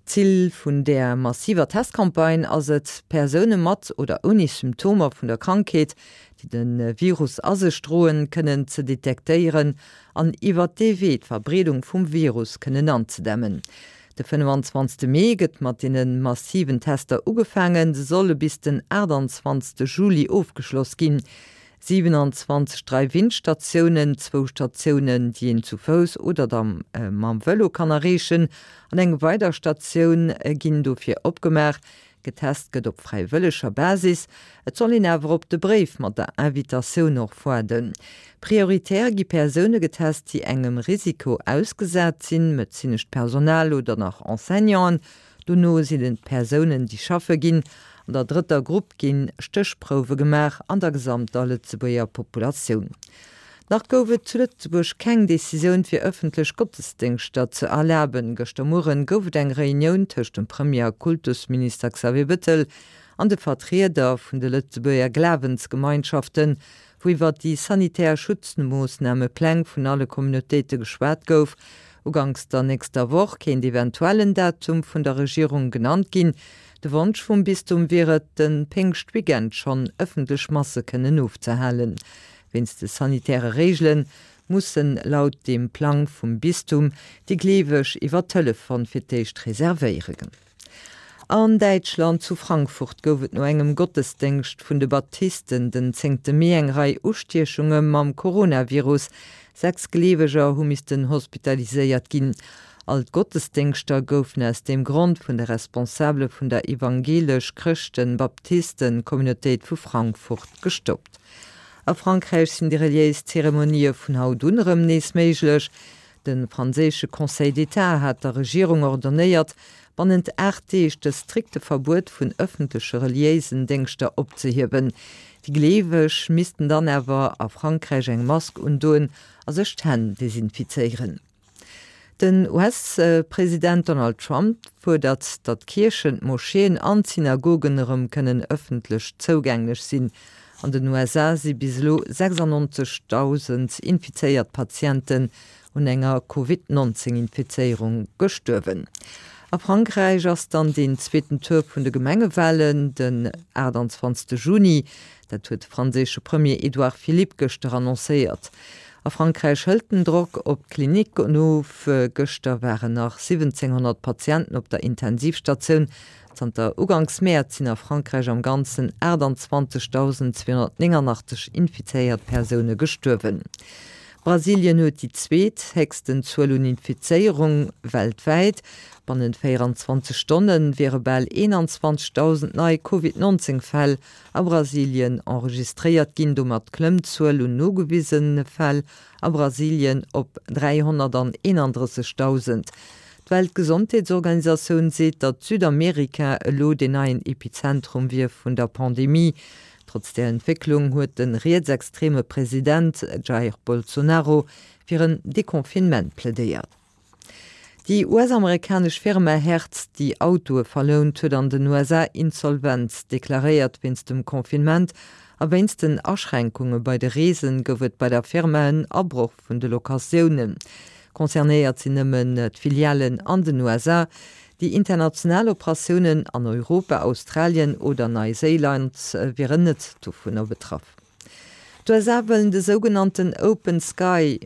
Zil vun där massiver Testcampagne ass et, Persoune mat oder ouni Symptomer vun der Krankheet, déi de Virus a sech droen, kënnen ze detektéieren an iwwert dee Wee d'Verbreedung vum Virus kënnen anzedämmen. De fënnefanzwanzegste Mee gëtt mat deene massiven Tester ugefaangen. Se solle bis den aachtanzwanzegste Juli ofgeschloss ginn. Siwenanzwanzeg Drive-In-Statiounen, zwou Statiounen, déi een zu Fouss oder da mam Vëlo kann erreechen, an eng weider Statioun ginn dofir opgemaach. Getest gëtt op fräiwëlleger Basis, et soll een awer op de Bréif mat der Invitatioun och waarden. Prioritär gi Persoune getest, déi engem Risiko ausgesat sinn, medezinescht Personal oder nach Enseignanten. Dono sinn et d'Persounen, déi schaffe ginn. An der drëtter Grupp gi Stéchprouwe gemaach an der gesamter Lëtzebuerger Populatioun. Nach gouf et zu Lëtzebuerg keng Decisioun fir ëffentlech Gottesdéngschter ze erlaben. Gëschter Mueren gouf et eng Reunioun tëscht dem Premier a Kultusminister Xavier Bettel an de Vertrieder vun de Lëtzebuerger Glawensgemeinschaften, wou iwwer déi sanitär Schutzmoossnamepläng vun alle Communautéite geschwat gouf. Uganks der nächster Woch kéint eventuell en Datum vun der Regierung genannt ginn. De Wonsch vum Bistum wier et, de Péngschtweekend schonn ëffentlech Masse kënnen ofzehalen. Wéinst de sanitäre Reegele mussen laut dem Plang vum Bistum déi Gleeweg iwwer Telefon fir d'éischt reservéieren. An Däitschland, zu Frankfurt, gouf et no engem Gottesdéngscht vun de Baptisten den zéngte Mee eng Rei Ustiechunge mam Coronavirus. Sechs Gleeweger hu missten hospitaliséiert ginn. All d'Gottesdéngschter goufen aus deem Grond vun de Responsabele vun der Evangelesch-Chrëschten-Baptisten-Communautéit vu Frankfurt gestoppt. A Frankräich sinn déi reliéis Zeremonië vun haut un erëm nees méiglech. De franséische Conseil d'État hat der Regierung ordonnéiert, bannent aacht Deeg de strikte Verbuet vun ëffentleche reliéisen Déngschter opzehiewen. Déi Gleeweg missten dann awer a Frankräich eng Mask undoen a sech d'Hänn desinfizéieren. Den U S-President Donald Trump fuerdert, datt d'Kierchen, d'Moscheeën an d'Synagogen erëm kënnen ëffentlech zougänglech sinn. An den U S A si bis elo sechsannonzegdausend infizéiert Patienten un enger Covid nonzéng Infizéierung gestuerwen. A Frankräich ass dann deen zweeten Tour vun de Gemengewalen den achtundzwanzegste Juni. Dat huet de franséische Premier Edouard Philippe gëschter annoncéiert. A Frankräich hëlt den Drock op d'Klinicken of. Gëschter waren nach siwwenzénghonnert Patienten op der Intensivstatioun. Zanter Uganks Mäerz sinn a Frankräich am Ganzen achtundzwanzegdausend zweehonnertnénganachteg infizéiert Persoune gestuerwen. Brasilien huet déi zweet héchsten Zuel un Infizéierung weltwäit. Bannent véieranzwanzeg Stonne wiere bal eenanzwanzegdausend nei Covid nonzéng Fäll a Brasilien enregistréiert ginn. Domat klëmmt d'Zuel un nogewisene Fäll a Brasilien op dräihonnerteenandrëssegdausend. D'Weltgesondheetsorganisatioun seet, datt Südamerika elo deen neien Epizentrum wier vun der Pandemie. Trotz där Entwécklung huet de rietsextreme President Jair Bolsonaro fir en Deconfinement plädéiert. Déi U S-amerikanesch Firma Hertz, déi Autoe verlount, huet an den U S A Insolvenz deklaréiert. Wéinst dem Confinement a wéinst den Aschränkunge bei de Reesen gouf et bei der Firma en Abroch vun de Locatiounen. Concernéiert sinn nëmmen d'Filialen an den U S A. Déi international Operatiounen an Europa, Australien oder Neiséiland wieren net dovunner betraff. D'U S A wëllen de sougenannten Open Sky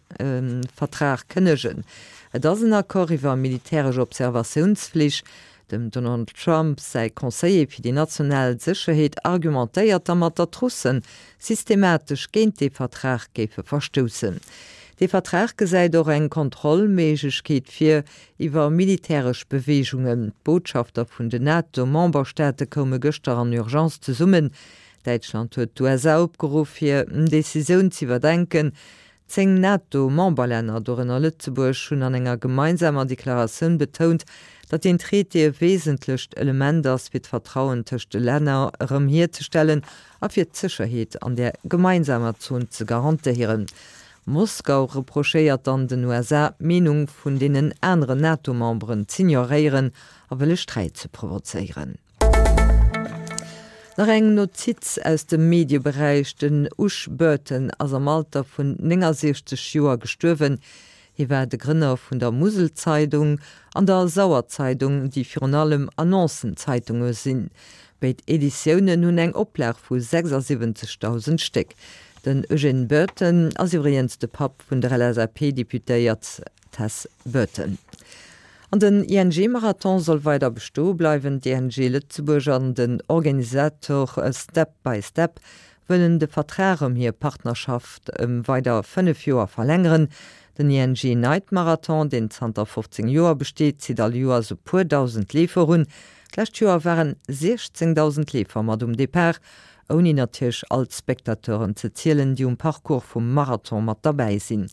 Vertrag kënnegen. Et ass en Accord iwwer militäresch Observatiounsflich. Dem Donald Trump säi Conseiller fir déi national Sécherheet argumentéiert dermat, datt d'Russe systematesch géint dee Vertrag géife verstoussen. Dee Vertrag gesäit och eng Kontrollméiglechkeet vir iwwer militäresch Beweegungen. D'Botschafter vun den NATO-Memberstaate koume gëschter an Urgence zesummen. Däitschland huet d'U S A opgeruff, hir Decisioun z'iwwerdenken. Zéng NATO-Memberlänner, dorënner Lëtzebuerg, hunn an enger gemeinsamer Deklaratioun betount, datt deen Traité e wesentlecht Element ass, fir d'Vertrauen tëscht de Länner erëm hierzestellen a fir d'Sécherheet an der gemeinsamer Zon ze garantéieren. Moskau reprochéiert dann den U S A, d'Meenung vun deenen aneren NATO-Memberen z'ignoréieren a wëlle Sträit ze provozéieren. Nach eng Notiz aus dem Medieberäich, Den Ush Burton ass am Alter vun néngasechzeg Joer gestuerwen. Hie war de Grënner vun der Muselzeidung an der Sauerzeidung, déi virun allem Annoncen-Zeitunge sinn. Béid Editiounen hunn eng Oplag vu sechsasiwwenzegdausend Stéck. Den Eugène Burton ass iwwregens de Papp vun der L S A P-Deputéiert Tess Burton. An den I N G-Marathon soll weider bestoe bleiwen. D'I N G Lëtzebuerg an den Organisator Step by Step wëllen de Vertrag ëm hir Partnerschaft ëm weider fënnef Joer verlängeren. Den I N G Night Marathon, deen zanter fofzéng Joer besteet, zitt all Joers e puer dausend Leefer un. D'lescht Joer waren siechzéngdausend Leefer mat um Depart, ouni natierlech all d'Spectateuren ze zielen, déi um Parcours vum Marathon mat derbäi sinn.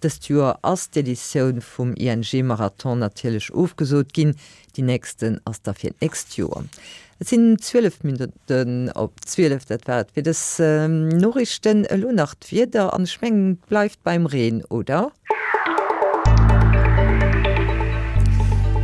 Dëst Joer ass d'Editioun vum I N G Marathon natierlech ofgesot ginn, déi nächsten ass da fir d'nächst Joer. Et sinn zwielef Minutten op zwielef, dat war et fir dës Noriichten. Elo nach d'Wieder an ech mengen et bleift beim Reen, oder?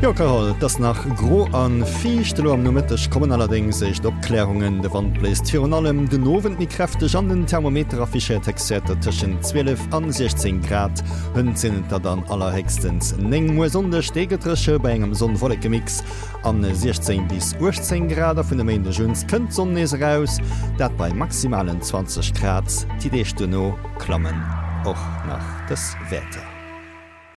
Jo Carole, et ass nach gro a fiicht. Elo am Nomëtteg kommen allerdéngs éischt Opklärungen. De Wand bléist virun allem den Owend méi kräfteg an den Thermometer affichéiert Héchstwäerter tëschent zwielef an siechzéng Grad. Hënt sinn et der dann allerhéchstens néng. Muer Sonndeg, dee gëtt dréche bei engem Sonn-Wolleke-Mix an siechzéng bis uechtzéng Grad a vun e Méindeg un kënnt d'Sonn nees eraus, dat bei maximalen zwanzeg Grad. Déi Deeg duerno klammen och nach dës Wäerter.